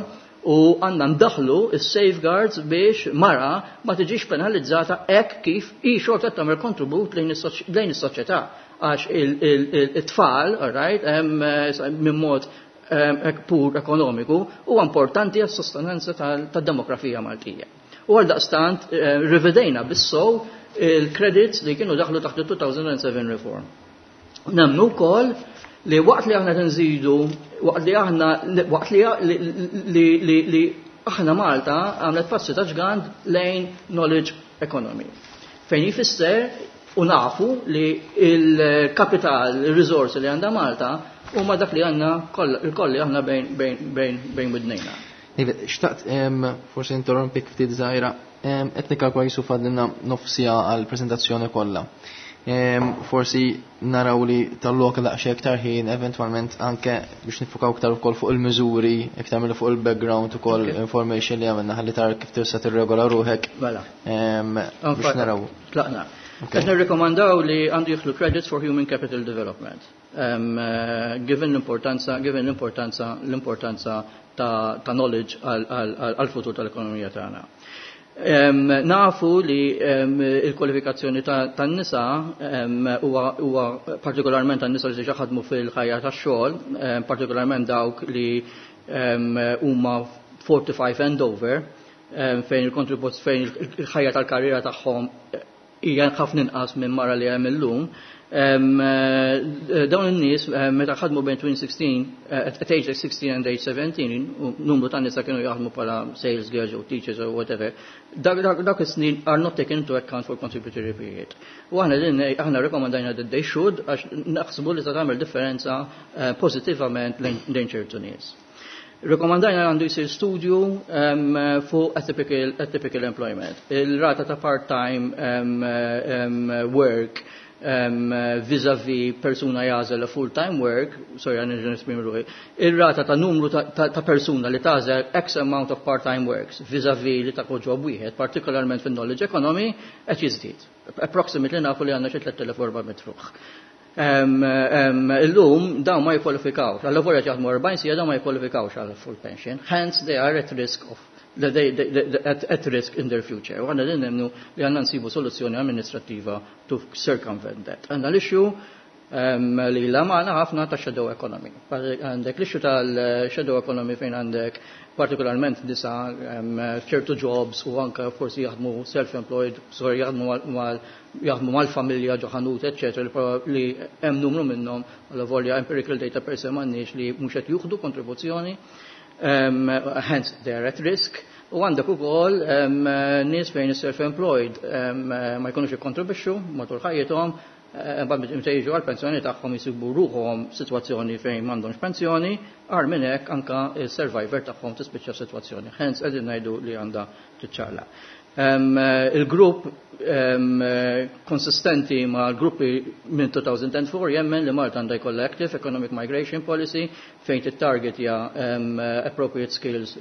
u għandna ndaħlu is-safeguards biex mara ma tiġix penalizzata hekk kif hi xorta tagħmel kontribut lejn is-soċjetà għax it-tfal, all right, minn mod pur ekonomiku huwa importanti għas sostenanza tad-demografija Maltija. U għal daqstant rivedejna bis-sow il-credits li kienu daħlu taħt il-two thousand seven reform. Nemnu wkoll li waqt li aħna nżidu, waqt li aħna waqt li li li li aħna Malta għamlet passi ta' ġgant lejn knowledge economy. Fejn jifisser u nafu li il-kapital, il-risorsi li għandha Malta huma dak li għandna il-kolli aħna bejn bejn bejn bejn widnejna. David, xtaqt forsi interrompik ftit żgħira, qed nikkalkula jisu fadlilna nofs siegħa għall-preżentazzjoni kollha. Forsi naraw li tal-lok daqsxejn iktar ħin eventwalment anke biex nifukaw iktar ukoll fuq il-miżuri, iktar milli fuq il-background ukoll information li għamilna ħalli tara kif tista' tirregola ruħek. Mela. Biex naraw. Tlaqna. Qed nirrikomandaw li għandu jidħlu credits for human capital development. Um, uh, given l-importanza, given l-importanza, l-importanza ta', ta knowledge għal-futur tal-ekonomija tagħna. Um, nafu li um, il-kwalifikazzjoni tan-nisa huwa um, partikolarment tan-nisa li diġà ħadmu fil-ħajja tax-xogħol, um, partikolarment dawk li huma um, forty-five and over, um, fejn il-kontribut fejn il-ħajja tal-karriera tagħhom hija ħafna inqas minn mara li hemm illum. Dawn in-nies meta ħadmu between sixteen, at age sixteen and age seventeen, numru ta' nisa kienu jaħdmu bħala sales girls or teachers or whatever, dak is-snin are not taken into account for contributory period. U aħna din aħna rekomendajna that they should, għax naħsbu li ta' tagħmel differenza pożittivament lejn ċertu nies. Rekomandajna għandu jisir studju um, fuq atypical, atypical employment. Il-rata ta' part-time um, um, work um, vis-a-vis persuna jagħżel full-time work, sorry, għan nesprimi ruħi, il-rata ta' numru ta', ta, ta persuna li tagħżel X amount of part-time works vis-a-vis li ta' job wieħed, partikolarment fin-knowledge economy, qed jiżdied. Approximately nafu li għandna xi tliet elef u erba' mitt ruħ. Um, um, illum dawn ma jikkwalifikawx, għal qed jaħdmu erbgħin siegħa, dawn ma jikkwalifikawx għal full pension, hence they are at risk of they, they, they, at, at risk in their future. U aħna din nemmnu li għandna nsibu soluzzjoni amministrativa to circumvent that. Għandna l-issue um, li la maħna ħafna ta' shadow economy. Għandek l-issue tal-shadow economy fejn għandek partikolarment nisa ċertu jobs u anka forsi jaħdmu self-employed, sorry, jaħdmu mal jaħdmu mal-familja ġo ħanut, eccetera, li hemm numru minnhom, għal volja empirical data per se m'għandniex, li mhux qed juħdu kontribuzzjoni, um, hence they are at risk. U għandek ukoll um, nies fejn self-employed um, ma jkunux ikkontribwixxu matul ħajjithom, mbagħad meta jiġu għall-pensjoni tagħhom jisibu ruħhom sitwazzjoni fejn m'għandhomx pensjoni, agħar minn hekk anka il-survivor tagħhom tispiċċa sitwazzjoni. Hence qegħdin ngħidu li għandha tiċċaqla. Um, il-grupp um, konsistenti ma' l-gruppi minn elfejn u erbgħa jemmen li Malta għandha jkollha active economic migration policy fejn tittargetja um, appropriate skills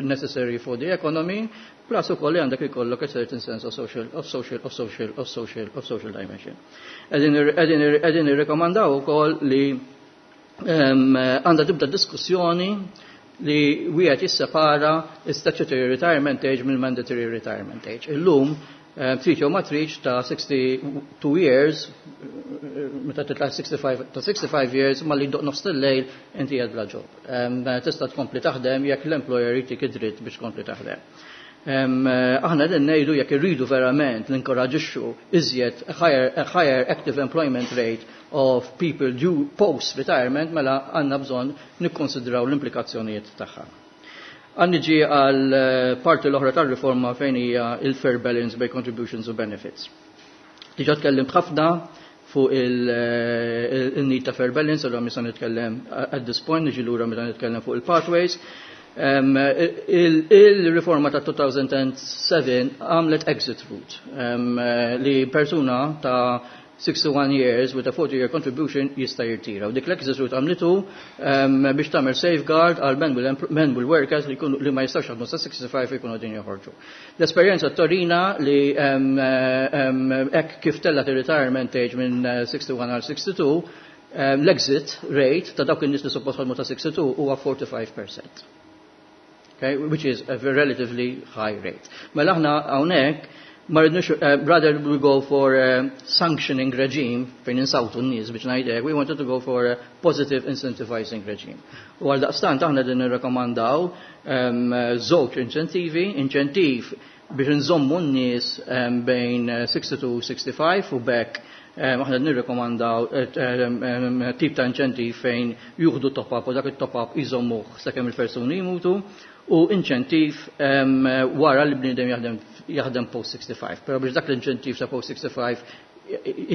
necessary for the economy, plus ukoll li għandek ikollok a certain sense of social, of social, of social, of social, of social dimension. Qegħdin irrekomandaw ukoll li għandha tibda diskussjoni li wieħed jissepara statutory retirement age mill mandatory retirement age. Illum trid jew ma tridx, ta' sixty-two years, meta titla' sixty-five, ta' sixty-five years, malli jdoqq nofs il-lejl inti qed bla job. Tista' tkompli taħdem jekk l-employer jtik id-dritt biex tkompli taħdem. Aħna din ngħidu jekk irridu verament l-inkoraġixxu iżjed higher, higher active employment rate of people due post-retirement, mela għandna bżonn nikkonsidraw l-implikazzjonijiet tagħha. Għan niġi għal parti l-oħra tar-riforma fejn hija il-fair balance by contributions u benefits. Diġà tkellimt ħafna fuq il-need ta' fair balance, għalhekk mhux nitkellem at this point, niġi lura meta nitkellem fuq il-pathways. Um, Il-riforma ta' elfejn u sebgħa għamlet exit route um, li persuna ta' sixty-one years with a forty year contribution jista' jirtira. U dik l-exit route għamlitu um, biex tagħmel safeguard għal men will, men will workers li, kunu, li ma jistax jaħdmu sa sixty-five jkunu din joħorġu. L-esperjenza turina li um, um, hekk kif tellat il-retirement age minn sixty-one għal sixty-two, um, l-exit rate ta' dawk in-nies li suppost ħadmu ta' sixty-two huwa forty-five percent. Okay, which is a relatively high rate. Mela aħna hawnhekk ma rridnux, uh, rather we go for a sanctioning regime fejn insawtu n-nies biex ngħidlek, we wanted to go for a positive incentivizing regime. U għal daqstant aħna din nirrakkomandaw um, żewġ inċentivi, inċentiv biex nżommu n-nies um, bejn sixty-two u sixty-five, u bekk um, aħna nirrekomandaw um, tip ta' inċentiv fejn juħdu top-up u dak il-top-up jżommuh sakemm il-persuni jmutu, u inċentiv um, wara li bniedem jaħdem jaħdem post sixty-five. Pero biex dak l-inċentiv ta' post sixty-five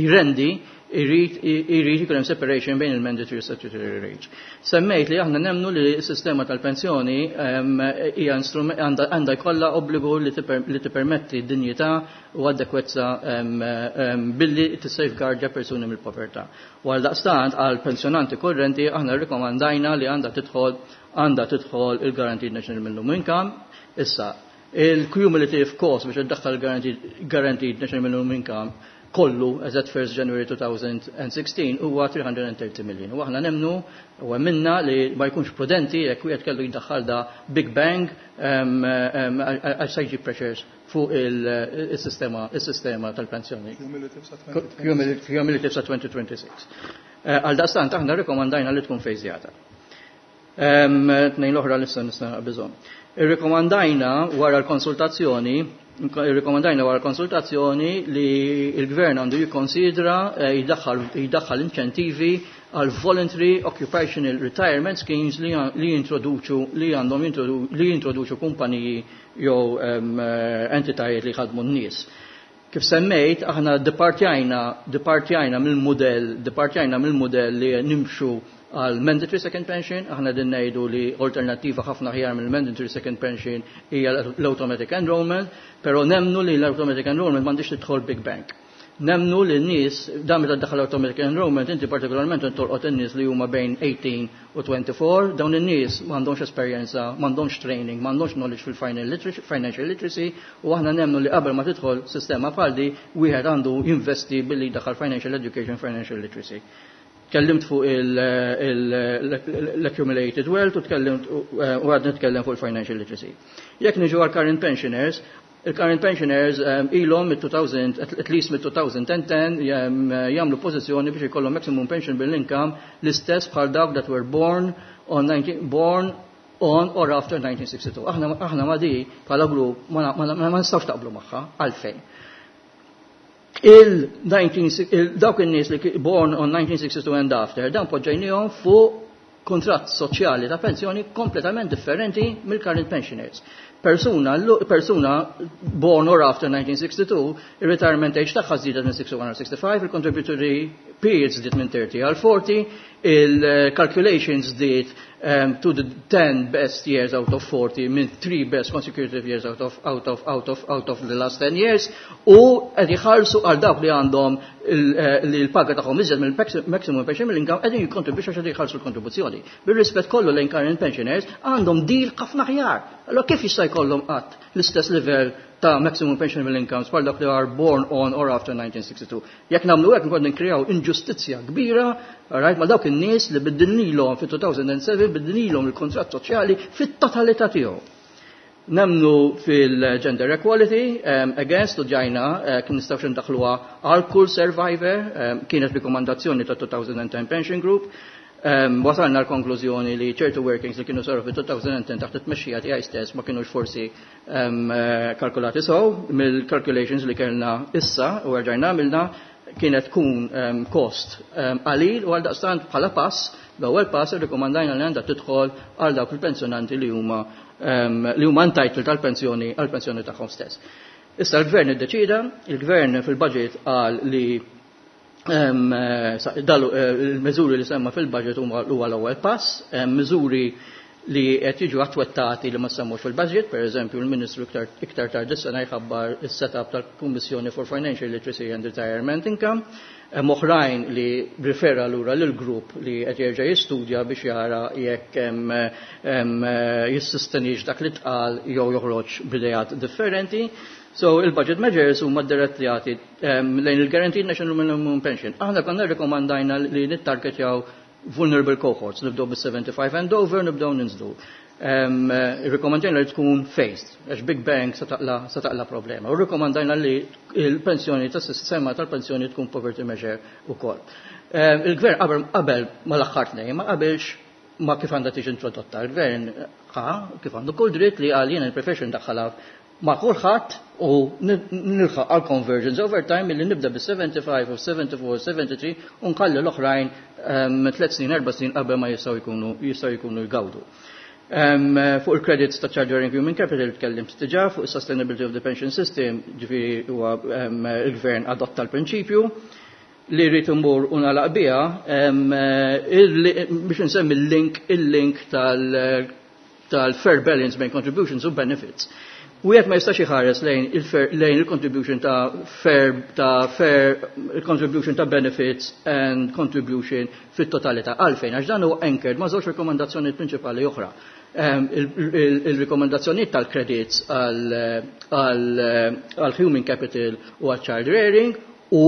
jrendi irrid irrid ikun hemm separation bejn il-mandatory u statutory rates. Semmejt li aħna nemnu li s-sistema tal-pensjoni hija għandha jkollha obbligu li tippermetti dinjità u adekwezza billi tissafeguardja persuni mill-povertà. U għal daqstant għal pensjonanti korrenti aħna rrikomandajna li għandha tidħol għandha tidħol il-Guaranteed National Minimum Income. Issa, il-cumulative cost biex iddaħħal Guaranteed National Minimum Income kollu as at first January twenty sixteen huwa three hundred thirty million. U aħna nemnu u minna li ma jkunx prudenti jekk wieħed kellu jdaħħal da big bang, għax se jġib pressures fuq il-sistema il-sistema tal-pensjoni. Cumulative sa twenty twenty-six. Eh, għal daqstant aħna rekomandajna li tkun fejżjata. Tnejn l-oħra l-issa nista' bżonn. Irrikomandajna wara l-konsultazzjoni Irrikomandajna wara konsultazzjoni li il-gvern għandu jikkonsidra eh, jdaħħal inċentivi għal voluntary occupational retirement schemes li, li jintroduċu li għandhom li jintroduċu kumpaniji jew eh, entitajiet li ħadmu n-nies. Kif semmejt, aħna departjajna, departjajna mill-modell, departjajna mill-modell li nimxu għal mandatory second pension. Aħna din ngħidu li alternativa ħafna ħjar mill mandatory second pension hija l-automatic enrollment, però nemnu li l-automatic enrollment m'għandix tidħol big bang. Nemnu li n-nies, dan meta daħal automatic enrollment, inti partikolarment tolqot in-nies li huma bejn eighteen u twenty-four, dawn in-nies m'għandhomx esperjenza, m'għandhomx training, m'għandhomx knowledge fil-financial literacy, u aħna nemnu li qabel ma tidħol sistema bħal di, wieħed għandu jinvesti billi daħal financial education, financial literacy. Tkellimt fuq l-accumulated wealth u tkellimt u għad nitkellem fuq il-financial literacy. Jekk niġu għal current pensioners, il-current pensioners um, ilhom mid-two thousand, at least mid-twenty ten jagħmlu pożizzjoni biex ikollhom maximum pensionable income l-istess bħal dawk that were born on nineteen, born on or after nineteen sixty-two. Aħna aħna ma di bħala grupp ma, ma, ma, ma nistgħux taqblu magħha. Għalfejn? Il dawk in-nies li born on nineteen sixty-two and after, dan poġġejnihom fuq kontratt soċjali ta' pensjoni kompletament differenti mill-current pensioners. Persuna, persuna born or after nineteen sixty-two, il-retirement age tagħha żdiedet minn sixty-one or sixty-five, il-contributory periods żdiet minn thirty għal forty, il-calculations żdiet um, to the ten best years out of forty minn three best consecutive years out of, out of, out of, out of the last ten years, u qed jħallsu għal dawk li għandhom eh, li l-paga tagħhom iżjed mill-maximum pension income, qegħdin jikkontribwixxu għax jħallsu l-kontribuzzjoni. Bir-rispett kollu lejn current pensioners, għandhom deal ħafna aħjar. Allora kif jista' jkollhom qatt l-istess level ta' maximum pensionable incomes bħal dak li are born on or after nineteen sixty-two? Jekk nagħmlu hekk nkun ninkrejaw inġustizzja kbira, right, ma' dawk in-nies li biddilnilhom fit-two thousand seven, biddilnilhom il-kontratt soċjali fit-totalità tiegħu. Nemnu fil-gender equality, um, again, studjajna, uh, kien nistgħux ndaħluha għal kull survivor, um, kienet rikomandazzjoni ta' twenty ten Pension Group, um, wasalna l-konklużjoni li ċertu workings li kienu saru fi twenty ten taħt it-tmexxija tiegħi stess ma kienux forsi um, kalkulati sew. Mill-calculations li kellna issa u rġajna għamilna, kienet tkun um, cost um, qalil, u għal daqstant bħala pass, l-ewwel pass, irrikomandajna li għandha tidħol għal dawk il-pensjonanti li huma um, li huma entitled għal-pensjoni għal-pensjoni tagħhom stess. Issa l-gvern iddeċida, il-gvern fil-budget qal li il-miżuri li semma fil-budget huma l-ewwel pass, miżuri li qed jiġu attwettati li ma semmux fil-budget, per eżempju il-Ministru iktar, iktar tard is-sena jħabbar is-setup tal-Kummissjoni for Financial Literacy and Retirement Income, hemm oħrajn li rifera lura lil grupp li qed jerġa' jistudja biex jara jekk jissustenix dak li tqal jew joħroġ b'ideat differenti. So il-budget measures huma direttjati lejn il-Guaranteed National Minimum Pension. Aħna konna rekomandajna li nittargetjaw vulnerable cohorts, nibdew bis-seventy-five and over, nibdew ninżlu. Um, Rekomandajna li tkun phased, għax big bang sa taqla problema. U rekomandajna li il-pensjoni tas-sistema tal-pensjoni tkun poverty measure ukoll. Um, il-gvern qabel ma l-aħħar tnejn, ma qabilx ma kif għandha tiġi introdotta. Il-gvern ħa kif għandu kull dritt li għal jiena il-profession daħħalha ma' kulħadd u nilħaq għal convergence over time illi nibda bis-seventy-five u seventy-four, seventy-three u nkalli l-oħrajn tliet snin, erba' snin qabel ma jistgħu jkunu jistgħu jkunu jgawdu. Um, fuq il-credits ta' Child Rearing Human Capital tkellimt diġà, fuq sustainability of the pension system, ġifieri huwa um, il-gvern adotta l-prinċipju li rrid imur u nagħlaq biha biex nsemmi il-link il-link tal- tal-fair balance bejn contributions u benefits. Wieħed ma jistax iħares lejn lejn il-contribution ta' fair ta' fair contribution ta' benefits and contribution fit-totalità. Għalfejn? Għax dan huwa anchored ma' żewġ rekomendazzjonijiet prinċipali oħra. Il-rekomendazzjonijiet tal-credits għal human capital u għal child rearing u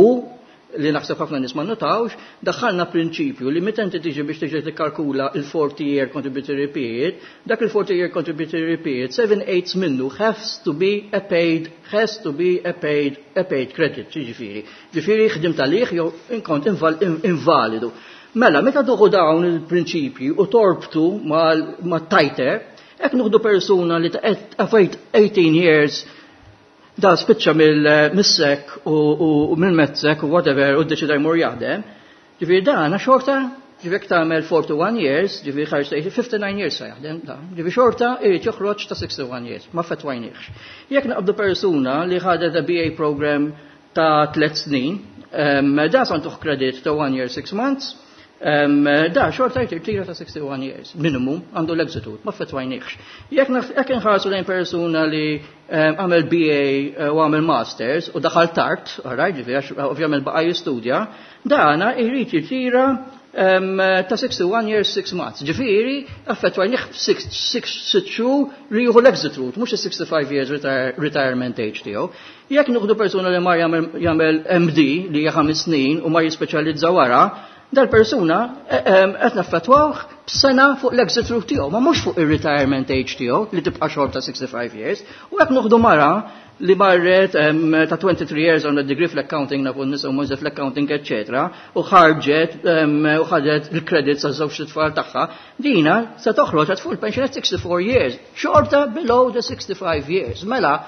li naħseb ħafna nies ma notawx, daħħalna prinċipju li meta inti tiġi biex tiġi tikkalkula il-forty year contributory period, dak il-forty year contributory period, seven eighths minnu has to be a paid, has to be a paid, a paid credit, ġifieri. Ġifieri ħdimt għalih jew inkont invalidu. Mela, meta tieħu dawn il-prinċipji u torbtu ma' tighter, jekk nieħdu persuna li ta' eighteen years da spiċċa mill-SEC u mill-MATSEC u whatever u ddeċida jmur jaħdem, ġifieri da xorta, ġifieri tagħmel forty-one years, ġifieri ħarġ fifty-nine years sa jaħdem da, ġifieri xorta irid joħroġ ta' sixty-one years, ma fetwajniex. Jekk naqbdu persuna li ħadet a B A program ta' tliet snin, da sa ntuh credit ta' one year six months, da xorta jirtira ta' sixty-one years, minimum, għandu l-exit route, ma fetwajniex. Jekk nħarsu lejn persuna li għamel B A u għamel masters u daħal tard, alright, ġifieri għax ovvjament baqa' jistudja, dana jrid jirtira ta' sixty-one years six months. Ġifieri affettwajnih six xhur li jieħu l-exit route, mhux is-sixty-five years retirement age tiegħu. Jekk nieħdu persuna li mar jagħmel M D li hija ħames snin u mar jispeċjalizza wara, dal-persuna qed naffettwawh b'sena fuq l-exit route tiegħu, ma mhux fuq ir-retirement age tiegħu li tibqa' xorta sixty-five years. U jekk nieħdu mara li marret ta' twenty-three years on a degree fl-accounting, nafu nisa u mhux fl-accounting, eccetera, u ħarġet u ħadet il-credits għaż żewġ tfal tagħha, dina se toħroġ għad full pension at sixty-four years, xorta below the sixty-five years. Mela,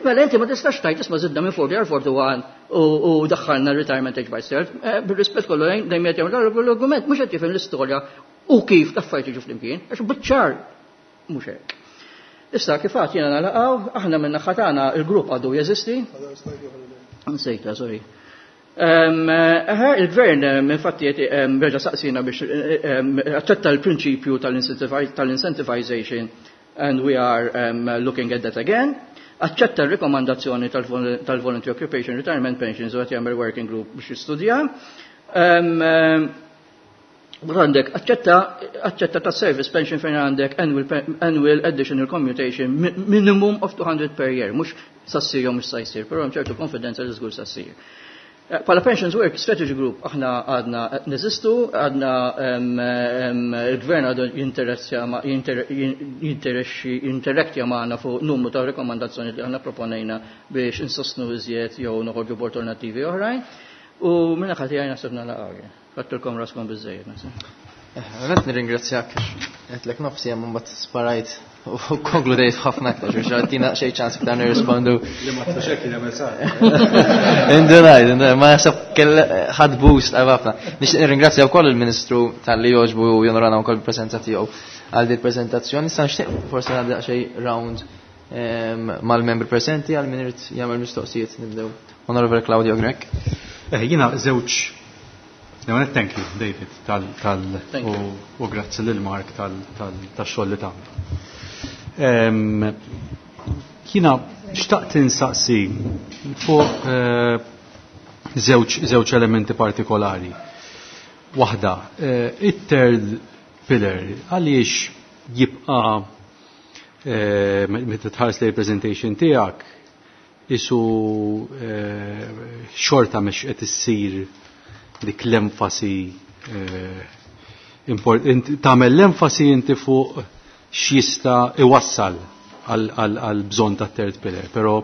mela inti ma tistax tgħid isma' żidna minn forty għal forty-one u daħħalna retirement age by cert. Bir-rispett kollu lejn dejjem qed jagħmel l-argument mhux qed jifhem l-istorja u kif l-affarijiet jiġu flimkien, għax biċ-ċar mhux hekk. Issa kif għad jiena nalaqgħu, aħna minn naħa tagħna il-grupp għadu jeżisti. Nsejta, sorry. Il-gvern infatti reġa' saqsina biex aċċetta l-prinċipju tal-incentivization and we are um, looking at that again. Aċċetta r-rekomandazzjoni tal-Voluntary Occupation Retirement Pensions u qed jagħmel working group biex jistudja. Għandek, aċċetta, aċċetta ta' service pension fejn għandek annual, annual additional commutation minimum of two hundred per year, mhux sassir jew mhux sa jsir, però hemm ċertu konfidenza li żgur sassir. Pala Pensions Work Strategy Group aħna għadna neżistu, għadna il-gvern għadu jinterektja magħna fuq numru ta' rekomandazzjoni li aħna proponejna biex insostnu iżjed jew noħorġu b'alternattivi oħrajn. U minna ħati għajna sebna laqgħa. Fattilkom raskom biżejjed, naħseb. Għanet nirringrazzjak, għetlek nofsi għam mbagħad sparajt u konkludejt ħafna aktar, biex għattina xej ċans b'dan nirrispondu. Li ma tfuxek li għamil sar. Indunaj, indunaj, ma jasab kell ħad boost għal ħafna. Nixtieq nirringrazzja wkoll il-Ministru tal-li jogħġbu u jonorana wkoll il-preżenza tiegħu għal din il-preżentazzjoni. Issa nixtieq forsi nagħdi xej round mal-membri presenti għal min irid jagħmel mistoqsijiet nibdew. Onorevole Claudio Grech. Eh, jiena żewġ. No, thank you, David, tal, tal, Thank you. u, u grazzi lil Mark tal, tal, tax-xogħol li tagħmlu. Jiena xtaqt insaqsi fuq, eh, żewġ, żewġ elementi partikolari. Waħda, eh, it-third pillar, għaliex jibqa', eh, meta tħares lejn presentation tiegħek, isu, eh, xorta mhux qed issir dik l-enfasi, eh, import-, int-, tagħmel l-enfasi inti fuq x'jista' iwassal għal bżonn ta' third pillar, però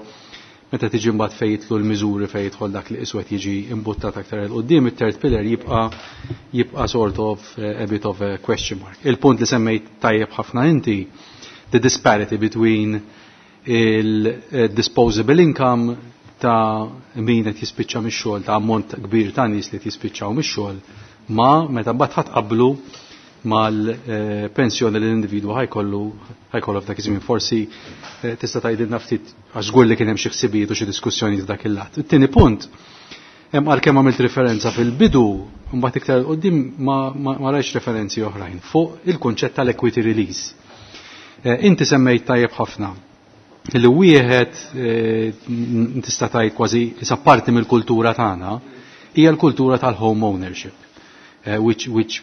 meta tiġi mbagħad fejn jidħlu l-miżuri fejn jidħol dak li iswed jiġi imbuttat aktar il quddiem, it-third pillar jibqa' jibqa' sort of, eh, a bit of a question mark. Il-punt li semmejt tajjeb ħafna inti, the disparity between il-disposable income ta' min qed jispiċċa mix-xogħol, ta' ammont kbir ta' nies li qed jispiċċaw mix-xogħol, ma meta mbagħad ħadd qablu Mal-pensjoni li l-individwu ħa jkollu ħa jkollu f'dak iż-żmien. Forsi eh, tista' tgħidilna ftit, għax żgur li kien hemm xi ħsibijiet u xi diskussjonijiet f'dak il-lat. It-tieni punt, hemm għalkemm għamilt referenza fil-bidu, mbagħad iktar quddiem ma, ma, ma rajtx referenzi oħrajn fuq il-kunċett tal-equity release. Eh, inti semmejt tajjeb ħafna li wieħed eh, tista' tgħid kważi isa parti mill-kultura tagħna hija l-kultura tal-home ownership, which, which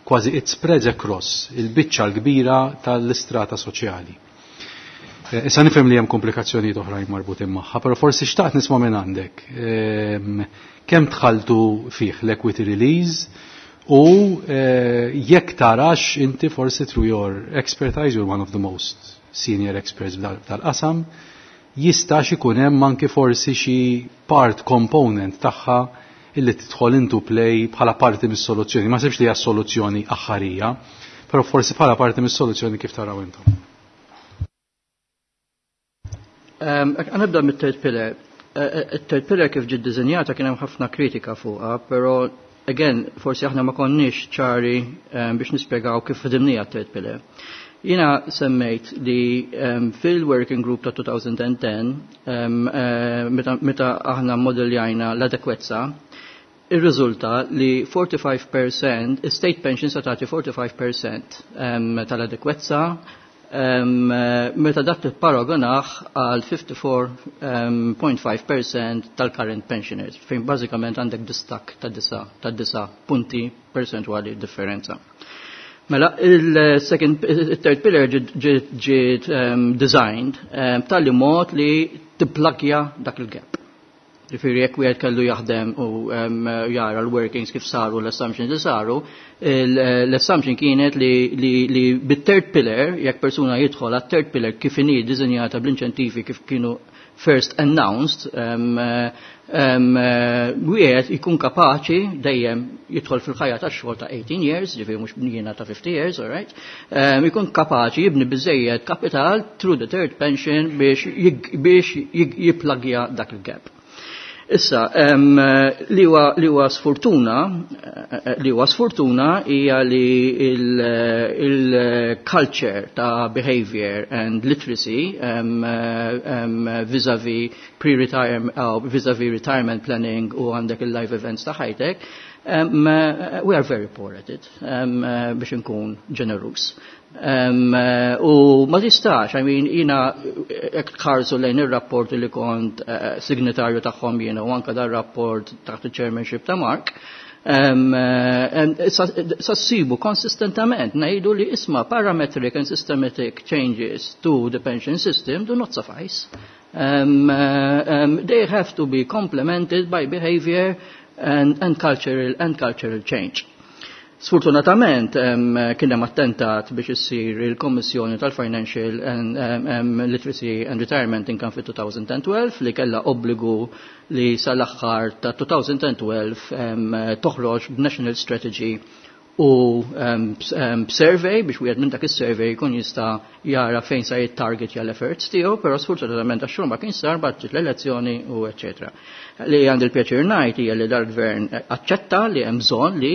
kważi it spreads across il-biċċa l-kbira tal-istrata soċjali. Eh, issa nifhem li hemm komplikazzjonijiet oħrajn marbutin magħha, però forsi xtaqt nisma' minn għandek. Ehm, kemm dħaltu fih l-equity release u eh, jekk tarax inti forsi through your expertise, you're one of the most senior experts tal-qasam, jistax ikun hemm anki forsi xi part component tagħha illi tidħol into play bħala parti mis-soluzzjoni. Ma sibx li hija soluzzjoni aħħarija, però forsi bħala parti mis-soluzzjoni kif taraw intom. Ħa nibda mit-third pillar. Eh, eh, it-third pillar kif ġiet dizinjata kien hemm ħafna kritika fuqha, però again, forsi aħna ma konniex ċari biex nispjegaw kif ħdimnija t-third pillar. Jiena semmejt li um, fil-working group ta' elfejn u għaxra, um, uh, meta, meta aħna modeljajna l-adekwezza, ir-riżulta li erbgħa u erbgħin fil-mija, state pension sa tagħti erbgħa u erbgħin fil-mija um, tal-adekwezza, um, meta dak tipparagonah għal ħamsa u erbgħin punt ħamsa fil-mija tal-current pensioners, fejn bażikament għandek distakk ta' disa ta' disa punti percentwali differenza. Mela, il-second, il-third pillar ġiet um, designed um, tal mod li tipplagja dak il-gap. Ġifieri jekk wieħed kellu jaħdem u um, jara l-workings kif saru, l-assumptions li saru, l-assumption kienet li, li, li bit-third pillar, jekk persuna jidħol għat-third pillar kif inhi dizinjata bl-inċentivi kif kienu first announced, um, um, wieħed ikun kapaċi dejjem jidħol fil-ħajja tax-xogħol ta' eighteen years, ġifieri mhux jiena ta' fifty years, all right? Um, ikun kapaċi jibni biżejjed kapital through the third pension biex biex jipplagja dak il-gap. Issa, um, li huwa li huwa sfortuna, li huwa sfortuna hija li il-culture ta' behavior and literacy um, um, vis-a-vis pre-retirement, uh, vis-a-vis retirement planning u għandek il-life events ta' ħajtek, um, we are very poor at it, um, biex nkun ġenerus. Um, u ma tistax, I mean, jiena jekk tħarsu lejn il-rapport li kont uh, signatarju tagħhom jiena u anka dar rapport taħt il-chairmanship ta' Mark, um, sa ssibu konsistentament ngħidu li isma' parametric and systematic changes to the pension system do not suffice. Um, um, they have to be complemented by behavior and, and, cultural, and cultural change. Sfortunatament kien hemm attentat biex issir il-Kommissjoni tal-Financial and um, Literacy and Retirement Income fit-elfejn u tnax li kellha obbligu li sal-aħħar ta' elfejn u tnax um, toħroġ b'National Strategy u um, um, survey biex wieħed minn dak is-survey jkun jista' jara fejn sa jittarget l-efforts tiegħu, però sfortunatament għax ma kien sar bagħad l-elezzjoni u eċetera. Li għandi l-pjaċir ngħid hija li dal-gvern aċċetta li hemm bżonn li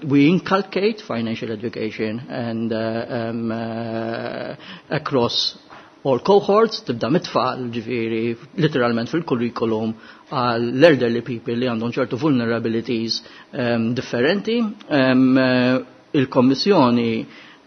we inculcate financial education and uh, um, uh, across all cohorts, tibda mit-tfal, ġifieri, literalment fil-curriculum, għal l-elderly people li għandhom ċertu vulnerabilities um, differenti. Um, Il-Kommissjoni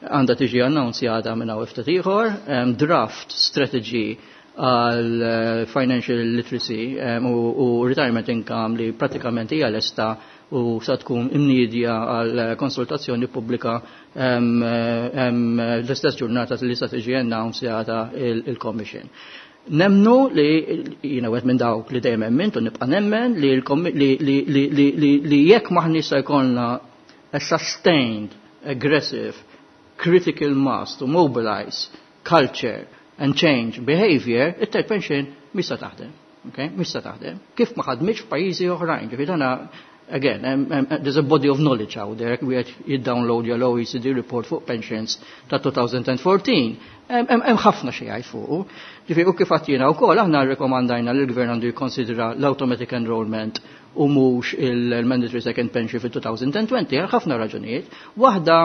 għandha tiġi annunzjata minn hawn ftit ieħor, um, draft strategy għal uh, financial literacy um, u, u retirement income li pratikament hija lesta u sa tkun imnidja għal konsultazzjoni pubblika um, um, l-istess ġurnata li sa tiġi annunzjata il-Commission. Nemmnu li jiena wieħed minn dawk li dejjem emmint u nibqa' nemmen li, li, li, li, li, li, li jekk m'aħniex se jkollna a sustained, aggressive, critical mass to mobilize culture and change behavior, it-third pension mhix sa taħdem. Okay? Mhix sa taħdem. Kif ma ħadmitx f'pajjiżi oħrajn, ġifieri dana Again, um, um, there's a body of knowledge out there. Wieħed jiddownload l-O E C D report fuq pensions ta' twenty fourteen. Hemm ħafna xi jgħid fuq. Ġifieri u kif għedt jiena wkoll, aħna rrekomandajna li l-gvern għandu jikkonsidra l-automatic enrollment u mhux il-mandatory second pension fil-twenty twenty għal ħafna raġunijiet. Waħda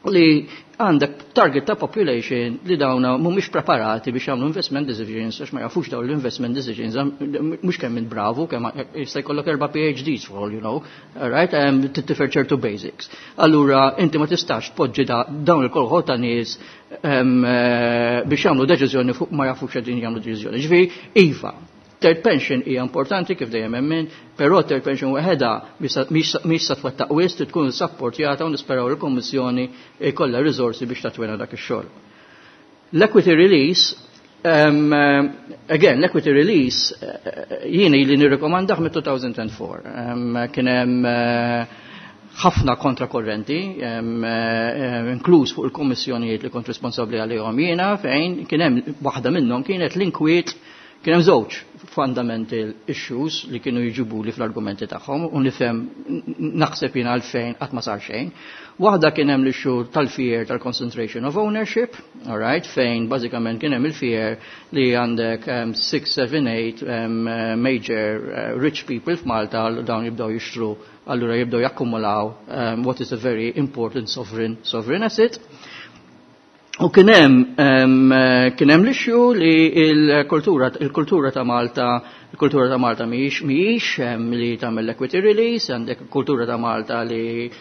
li għandek target ta' population li dawna mhumiex preparati biex jagħmlu investment decisions, għax ma jafux dawn l-investment decisions, mhux kemm int bravu, kemm jista' jkollok erba' P H Ds for all you know, right? Um, Tittifer ċertu basics. Allura inti ma tistax tpoġġi dawn il-kolħot ta' nies um, eh, biex jagħmlu deċiżjoni fuq ma jafux qegħdin jagħmlu deċiżjoni. Ġifieri, iva, third pension hija importanti kif dejjem emmen, però third pension waħedha mhix sa twettaq wisq, tkun supportjata u nisperaw il-Kummissjoni jkollha riżorsi biex tatwena dak ix-xogħol. L-equity release, um, again, l-equity release uh, jiena li nirrekomandah mit-two thousand four. Um, kien hemm uh, ħafna kontrakorrenti, um, uh, inkluż fuq il-kommissjonijiet li kont responsabbli għalihom jiena, fejn kien hemm waħda minnhom kienet l-inkwiet. Kien hemm żewġ fundamental issues li kienu jġibu li fl-argumenti tagħhom u nifhem, naħseb jiena, għalfejn qatt ma sar xejn. Waħda kien hemm l-issue tal-fear tal-concentration of ownership, all right, fejn bażikament kien hemm il-fear li għandek six, seven, eight um, major uh, rich people f'Malta, dawn jibdew jixtru, allura jibdew jakkumulaw um, what is a very important sovereign sovereign asset. U kien hemm um, kien hemm l-issue li il-kultura il-kultura ta' Malta il-kultura ta' Malta mhijiex mhijiex li tagħmel equity release, għandek kultura ta' Malta li